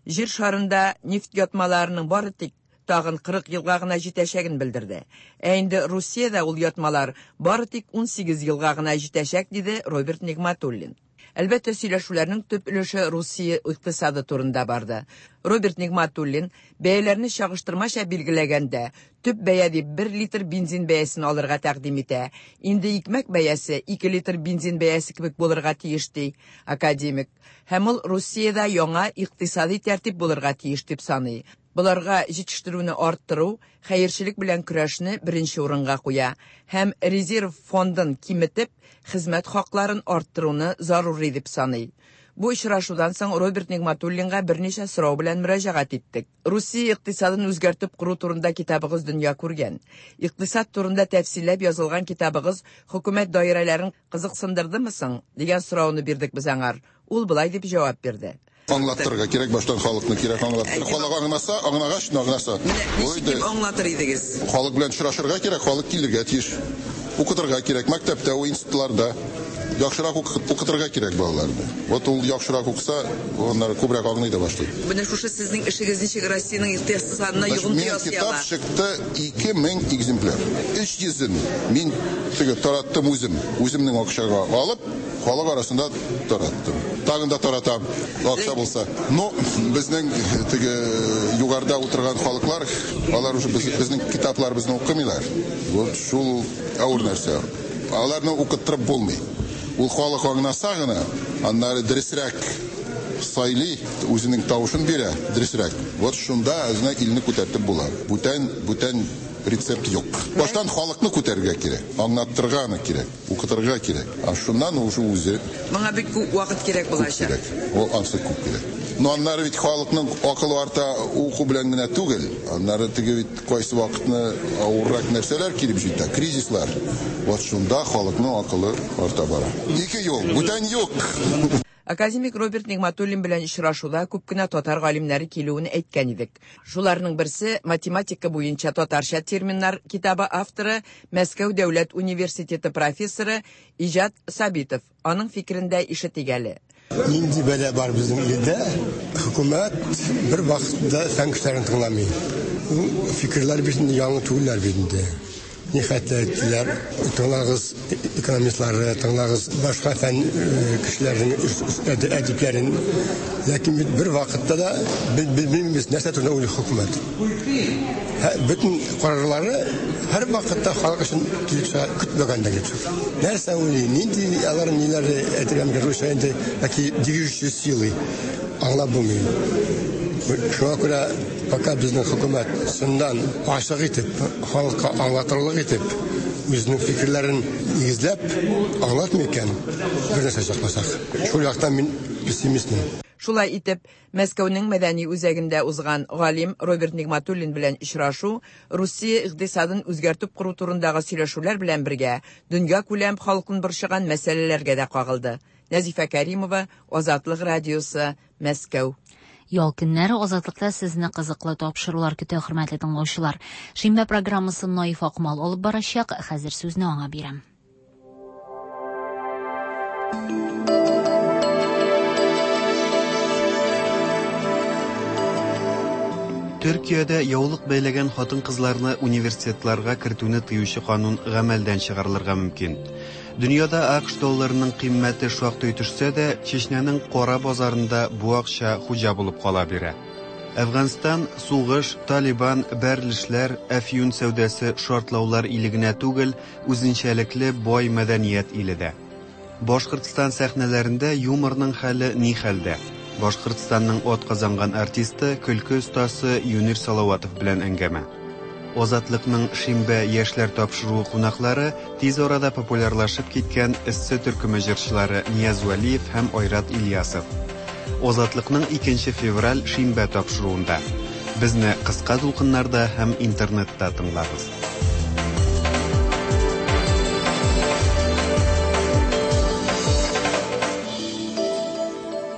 җир шарында нефть ятмаларының бары тик тагын 40 елга гына җитәчәген белдерде. Ә инде Русиядә ул ятмалар бары тик 18 елга гына җитәчәк, диде Роберт Нигматуллин. Әлбәттә, сөйләшүләрнең төп өлеше Русия икътисады турында барды. Роберт Нигматуллин бәяләрне чагыштырмача билгеләгәндә, төп бәя дип 1 литр бензин бәясен алырга тәкъдим итә. Инде икмәк бәясе 2 литр бензин бәясе кебек булырга тиеш, ди академик. Һәм ул Русиядә яңа икътисади тәртип булырга тиеш дип саный. Боларга җитештерүне арттыру, хәерчелек белән көрәшне беренче урынга куя һәм резерв фондын киметеп, хезмәт хакларын арттыруны зарури дип саный. Бу очрашудан соң Роберт Нигматуллинга берничә сорау белән мөрәҗәгать иттек. Русия икътисадын үзгәртеп кору турында китабыгыз дөнья күргән. Икътисад турында тәфсилләп язылган китабыгыз хөкүмәт даирәләрен кызыксындырдымы соң? дигән сорауны бирдек без аңар. Ул болай дип җавап бирде. Аңлаттырырга кирәк, баштан халыкны кирәк аңлаттырырга. Халык аңласа, аңлагач, аңласа. Ничек дип аңлатыр идегез? Халык белән очрашырга кирәк, халык килергә тиеш. Укытырга кирәк, мәктәптә, институтларда. Яхшырак укытырга кирәк балаларны. Вот ул яхшырак укыса, аннары күбрәк аңлый да башлый. Менә шушы сезнең эшегез ничек Россиянең икътисадына йогынты ясый ала? Китап чыкты 2000 экземпляр. 300-ен мин теге тараттым үзем. Үземнең акчага алып, халык арасында тараттым. Тагын да таратам, акча булса. Но безнең теге югарыда утырган халыклар, алар уже безнең китапларыбызны укымыйлар. Вот шул авыр нәрсә. Аларны укыттырып булмый. Ул халык аңласа гына, аннары дөресрәк сайлый, үзенең тавышын бирә, дөресрәк. Вот шунда үзенә илне күтәртеп була. Бүтән, бүтән рецепт юк. Баштан халыкны күтәрергә кирәк, аңлаттырырга аны кирәк, укытырга кирәк. А шуннан уже үзе. Моңа бик күп вакыт кирәк булачак. Күп кирәк. Ул ансы күп кирәк. Но аннары бит халыкның акылы арта уку белән генә түгел. Аннары теге бит кайсы вакытны авыррак нәрсәләр килеп җитә, кризислар. Вот шунда халыкның акылы арта бара. Ике юл, бүтән юк. Академик Роберт Нигматуллин белән очрашуда күп кенә татар галимнәре килүен әйткән идек. Шуларның берсе математика буенча татарча терминнар китабы авторы, Мәскәү дәүләт университеты профессоры Иҗат Сабитов. Аның фикерен дә ишетик әле. Нинди бәла бар безнең илдә? Хөкүмәт бер вакытта фән кешеләрен тыңламый. Ул фикерләр бит инде яңа түгелләр бит инде. Ни хәтле әйттеләр, тыңлагыз экономистлары, тыңлагыз башка фән кешеләренең әдипләрен. Ләкин бит бер вакытта да белмибез, нәрсә турында уйлый хөкүмәт. Бөтен карарлары һәр вакытта халык өчен килеп чыга, көтмәгәндә килеп чыга. Нәрсә уйлый, нинди алар ниләре әйтергә мөмкин, русча инде яки движущие силы аңлап булмый. Шуңа күрә пока безнең хөкүмәт чыннан ачык итеп, халыкка аңлатырлык итеп, үзенең фикерләрен нигезләп аңлатмый икән, бер нәрсә чыкмасак. Шул яктан мин пессимистмын. Шулай итеп, Мәскәүнең мәдәни үзәгендә узган галим Роберт Нигматуллин белән очрашу Русия икътисадын үзгәртеп кору турындагы сөйләшүләр белән бергә дөньякүләм халкын борчыган мәсьәләләргә дә кагылды. Нәзифә Кәримова, Азатлык радиосы, Мәскәү. Ял көннәре Азатлыкта сезне кызыклы тапшырулар көтә, хөрмәтле тыңлаучылар. Шимбә программасын Наиф Акмал алып барачак. Хәзер сүзне аңа бирәм. Төркиядә яулык бәйләгән хатын-кызларны университетларга кертүне тыючы канун гамәлдән чыгарылырга мөмкин. Дөньяда АКШ долларының кыйммәте шактый төшсә дә, Чечняның кара базарында бу акча хуҗа булып кала бирә. Әфганстан сугыш, Талибан, бәрелешләр, әфьюн сәүдәсе, шартлаулар иле генә түгел, үзенчәлекле бай мәдәният иле дә. Башкортстан сәхнәләрендә юморның хәле ни хәлдә? Башкортстанның атказанган артисты, көлке остасы Юнир Салаватов белән әңгәмә. Азатлыкның Шимбә яшьләр тапшыруы кунаклары тиз арада популярлашып киткән Эссе төркеме җырчылары Нияз Вәлиев һәм Айрат Ильясов. Азатлыкның 2 февраль Шимбә тапшыруында. Безне кыска дулкыннарда һәм интернетта тыңлагыз.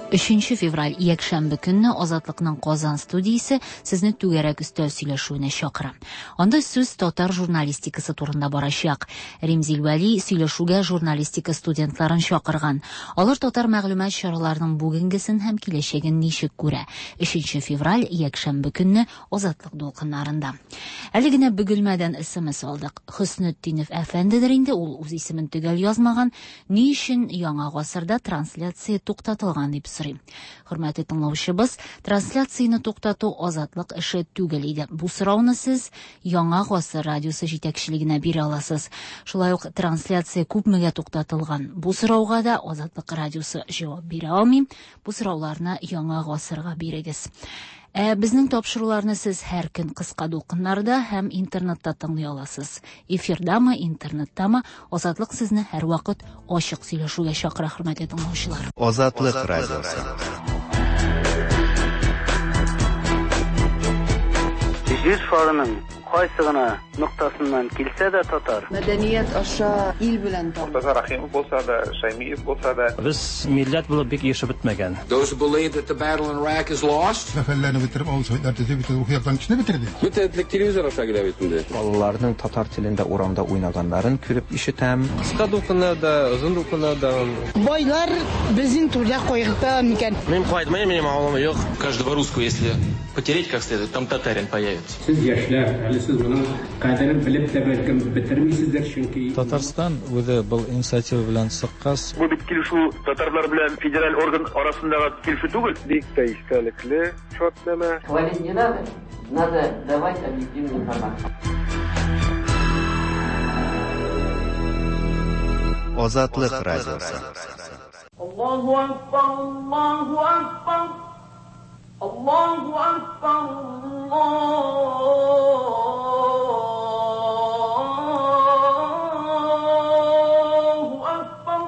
Өченче февраль, якшәмбе көнне Азатлыкның Казан студиясе сезне түгәрәк өстәл сөйләшүенә чакыра. Анда сүз татар журналистикасы турында барачак. Римзил Вәли сөйләшүгә журналистика студентларын чакырган. Алар татар мәгълүмат чараларының бүгенгесен һәм киләчәген ничек күрә. Өченче февраль, якшәмбе көнне Азатлык дулкыннарында. Әле генә Бөгелмәдән смс алдык. Хөснетдинов әфәндедер инде, ул үз исемен төгәл язмаган. Ни өчен Яңа гасырда трансляция туктатылган дип сорый. Хөрмәтле тыңлаучыбыз, трансляцияне туктату Азатлык эше түгел иде. Бу сорауны сез Яңа гасыр радиосы җитәкчелегенә бирә аласыз. Шулай ук трансляция күпмегә туктатылган? Бу сорауга да Азатлык радиосы җавап бирә алмый. Бу сорауларны Яңа гасырга бирегез. Ә безнең тапшыруларны сез һәр көн кыска дулкыннарда һәм интернетта тыңлый аласыз. Эфирдамы, интернеттамы, Азатлык сезне һәрвакыт ачык сөйләшүгә чакыра, хөрмәтле тыңлаучылар. Азатлык радиосы. Җир шарының кайсы гына ноктасыннан килсә дә татар. Мәдәният аша ил белән таныш. Мортаза Рәхимов булса да, Шәймиев булса да. Без милләт булып бик ирешеп бетмәгән. Those who believe that the battle in Iraq is lost. Сәфәрләрне бетереп, авыл советлар төзеп, бөтен рухи яктан кешене бетерде. Бөтен телевизор аша килә бит инде. Балаларның татар телендә урамда уйнаганнарын күреп ишетәм. Кыска дулкыннарда, озын дулкыннарда. Байлар безнең түрдә кайгырта микән? Мин кайтмыйм, минем авылым юк. Каждого русского, если потереть как следует, там татарин появится. Сез яшьләр, әле сез моның кадерен белеп тә бәлкем бетермисездер, чөнки Татарстан үзе был инициатива белән чыккач, Бу бит килешү татарлар белән федераль орган арасындагы килешү түгел. Бик тә истәлекле шартнамә. Хвалить не надо, надо давать объективную информацию. Азатлык радиосы. Аллаһу акбар, Аллаһу акбар. Аллаһу акбар, Аллаһу акбар.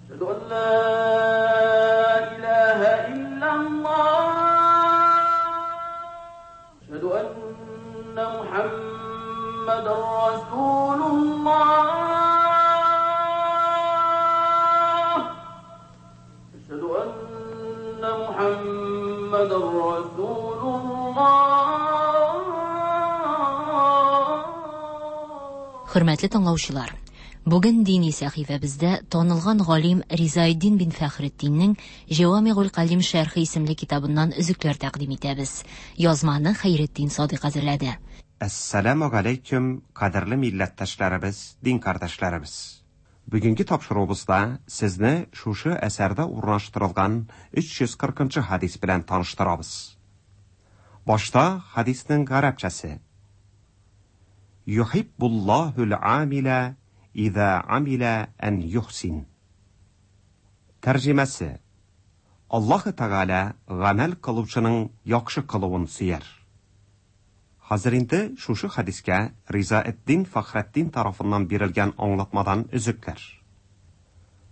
Әшһәду ан ла илаһа иллаллаһ. Әшһәду анна Мухаммадан расулуллаһ. Әшһәду анна Мухаммадан расулуллаһ. Хөрмәтле тыңлаучылар, бүген дини сәхифәбездә танылган галим Ризаэддин бин Фәхретдиннең Җәвамигуль Калим шәрхе исемле китабыннан өзекләр тәкъдим итәбез. Язманы Хәйретдин Садыйк әзерләде. Әссәламү галәйкүм, кадерле милләттәшләребез, дин кардәшләребез. Бүгенге тапшыруыбызда сезне шушы әсәрдә урнаштырылган 340 нчы хәдис белән таныштырабыз. Башта хәдиснең гарәпчәсе. Юхиббуллаһул амиля иза амиля ән юхсин. Тәрҗемәсе. Аллаһы Тәгалә гамәл кылучының яхшы кылуын сөяр. Хәзер инде шушы хәдискә Ризаэддин Фәхретдин тарафыннан бирелгән аңлатмадан өзекләр.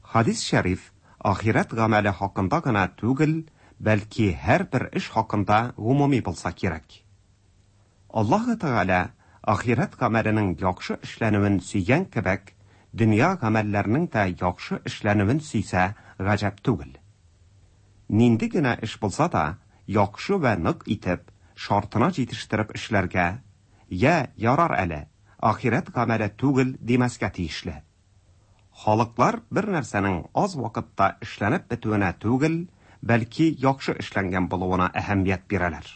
Хәдис шәриф ахирәт гамәле хакында гына түгел, бәлки һәрбер эш хакында гомуми булса кирәк. Аллаһы Тәгалә ахирәт гамәленең яхшы эшләнүен сөйгән кебек, дөнья гамәлләренең дә яхшы эшләнүен сөйсә, гаҗәп түгел. Нинди генә эш булса да, яхшы вә нык итеп, шартына җитештереп эшләргә, йә, ярар әле, ахирәт гамәле түгел димәскә тиешле. Халыклар бер нәрсәнең аз вакытта эшләнеп бетүенә түгел, бәлки яхшы эшләнгән булуына әһәмият бирәләр.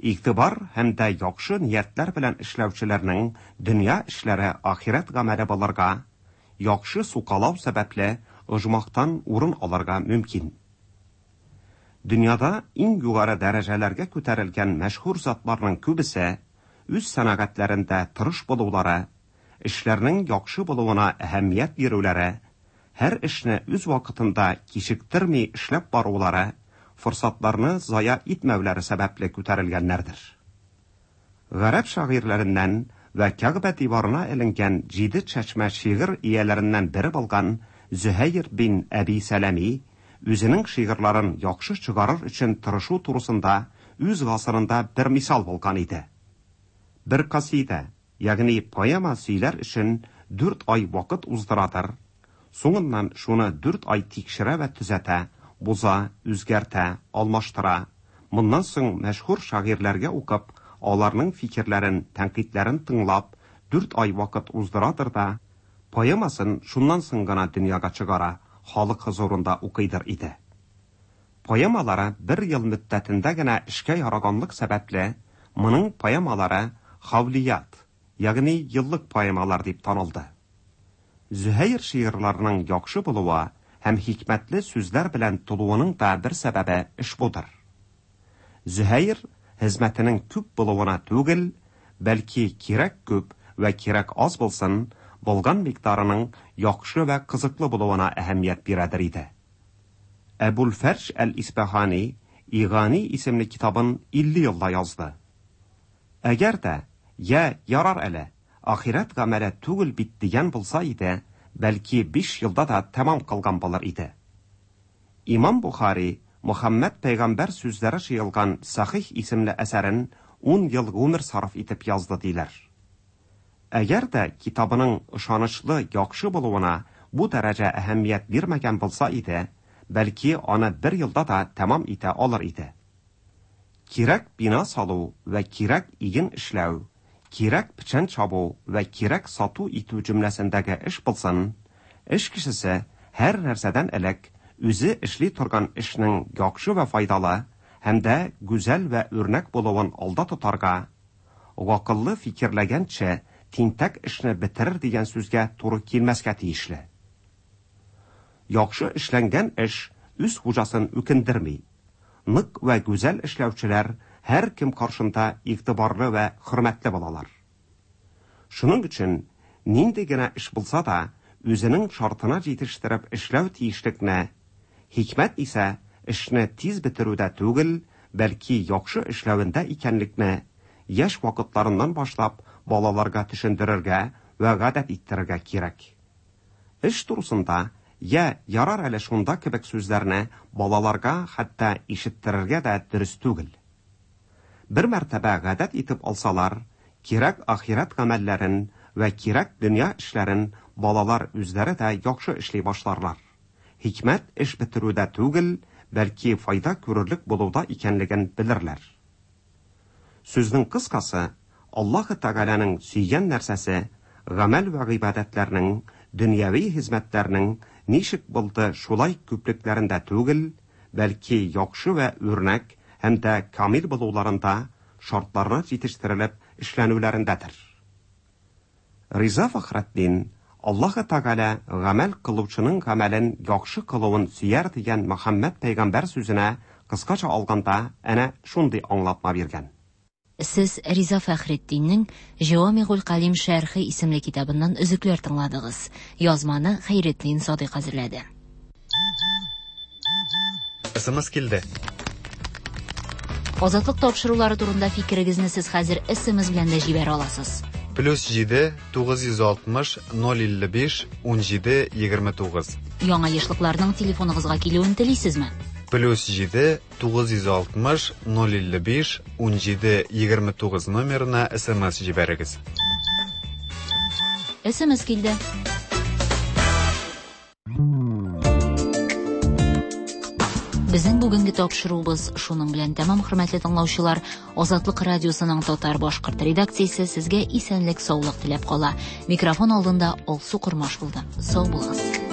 Игътибар һәм дә яхшы ниятләр белән эшләүчеләрнең дөнья эшләре ахирәт гамәле булырга, яхшы сукалау сәбәпле оҗмахтан урын алырга мөмкин. Дөньяда иң югары дәрәҗәләргә күтәрелгән мәшһүр затларның күбесе үз сәнәгатьләрендә тырыш булулары, эшләрнең яхшы булуына әһәмият бирүләре, һәр эшне үз вакытында кичектерми эшләп барулары, форсатларны зая итмәүләре сәбәпле күтәрелгәннәрдер. Гарәп шагыйрьләреннән вә Кәгъбә диварына эленгән җиде чәчмә шигырь ияләреннән бере булган Зөһәйр бин Әби Сәләми үзенең шигырьләрен яхшы чыгарыр өчен тырышу турысында үз гасырында бер мисал булган иде. Бер касидә, ягъни поэма сөйләр өчен дүрт ай вакыт уздырадыр, соңыннан шуны дүрт ай тикшерә вә төзәтә, боза, үзгәртә, алмаштыра, моннан соң мәшһүр шагыйрьләргә укып, аларның фикерләрен, тәнкыйтьләрен тыңлап, дүрт ай вакыт уздырадыр да, поэмасын шуннан соң гына дөньяга чыгара, халык хозурында укыйдыр иде. Поэмалары бер ел мөддәтендә генә эшкә яраганлык сәбәпле, моның поэмалары хавлият, ягъни еллык поэмалар дип танылды. Зөһәйр шигырьләренең яхшы булуы һәм хикмәтле сүзләр белән тулуының да бер сәбәбе ошбудыр. Зөһәйр хезмәтенең күп булуына түгел, бәлки кирәк күп вә кирәк аз булсын, булган микъдарының яхшы вә кызыклы булуына әһәмият бирәдер иде. Әбул-Фәрҗ әл-Исбаһани Игани исемле китабын 50 елда язды. Әгәр дә, йә, ярар әле, ахирәт гамәле түгел бит дигән булса иде, бәлки биш елда да тәмам кылган булыр иде. Имам Бухари Мөхәммәд пәйгамбәр сүзләре җыелган Сахих исемле әсәрен ун ел гомер сарыф итеп язды диләр. Әгәр дә китабының ышанычлы, яхшы булуына бу дәрәҗә әһәмият бирмәгән булса иде, бәлки аны бер елда да тәмам итә алыр иде. Кирәк бина салу вә кирәк иген эшләү, кирәк печән чабу вә кирәк сату итү җөмләсендәге эш булсын, эш кешесе һәр нәрсәдән элек үзе эшли торган эшнең яхшы вә файдалы һәм дә гүзәл вә үрнәк булуын алда тотарга, гакыллы фикерләгәнче тинтәк эшне бетерер дигән сүзгә туры килмәскә тиешле. Яхшы эшләнгән эш үз хуҗасын үкендерми. Нык вә гүзәл эшләүчеләр һәркем каршында игътибарлы вә хөрмәтле булалар. Шуның өчен нинди генә эш булса да, үзенең шартына җитештереп эшләү тиешлекне, хикмәт исә эшне тиз бетерүдә түгел, бәлки яхшы эшләвендә икәнлекне яшь вакытларыннан башлап балаларга төшендерергә вә гадәт иттерергә кирәк. Эш турысында йә ярар әле шунда кебек сүзләрне балаларга хәтта ишеттерергә дә дөрес түгел. Бер мәртәбә гадәт итеп алсалар, кирәк ахирәт гамәлләрен вә кирәк дөнья эшләрен балалар үзләре дә яхшы эшли башларлар. Хикмәт эш бетерүдә түгел, бәлки файда күрерлек булуда икәнлеген белерләр. Сүзнең кыскасы, Аллаһы Тәгаләнең сөйгән нәрсәсе, гамәл вә гыйбадәтләрнең, дөньяви хезмәтләрнең ничек булды шулай күплекләрендә түгел, бәлки яхшы вә үрнәк һәм дә камил булуларында, шартларына җитештерелеп эшләнүләрендәдер. Риза Фәхретдин, Аллаһы Тәгалә гамәл кылучының гамәлен яхшы кылуын сөяр дигән Мөхәммәд пәйгамбәр сүзенә кыскача алганда әнә шундый аңлатма биргән. Сез Риза Фәхретдиннең Җәвамигуль Калим шәрхе исемле китабыннан өзекләр тыңладыгыз. Язманы Хәйретдин Садыйк әзерләде. СМС килде. Азатлык тапшырулары турында фикерегезне сез хәзер СМС белән дә җибәрә аласыз. Плюс 7 960 055 17 29. Яңа ешлыкларның телефоныгызга килүен телисезме? Плюс 7 960 055 17 29 номерына СМС җибәрегез. СМС килде. Безнең бүгенге тапшыруыбыз шуның белән тәмам, хөрмәтле тыңлаучылар. Азатлык радиосының татар башкорт редакциясе сезгә исәнлек, саулык теләп кала. Микрофон алдында Алсу Кормаш булды. Сау булыгыз.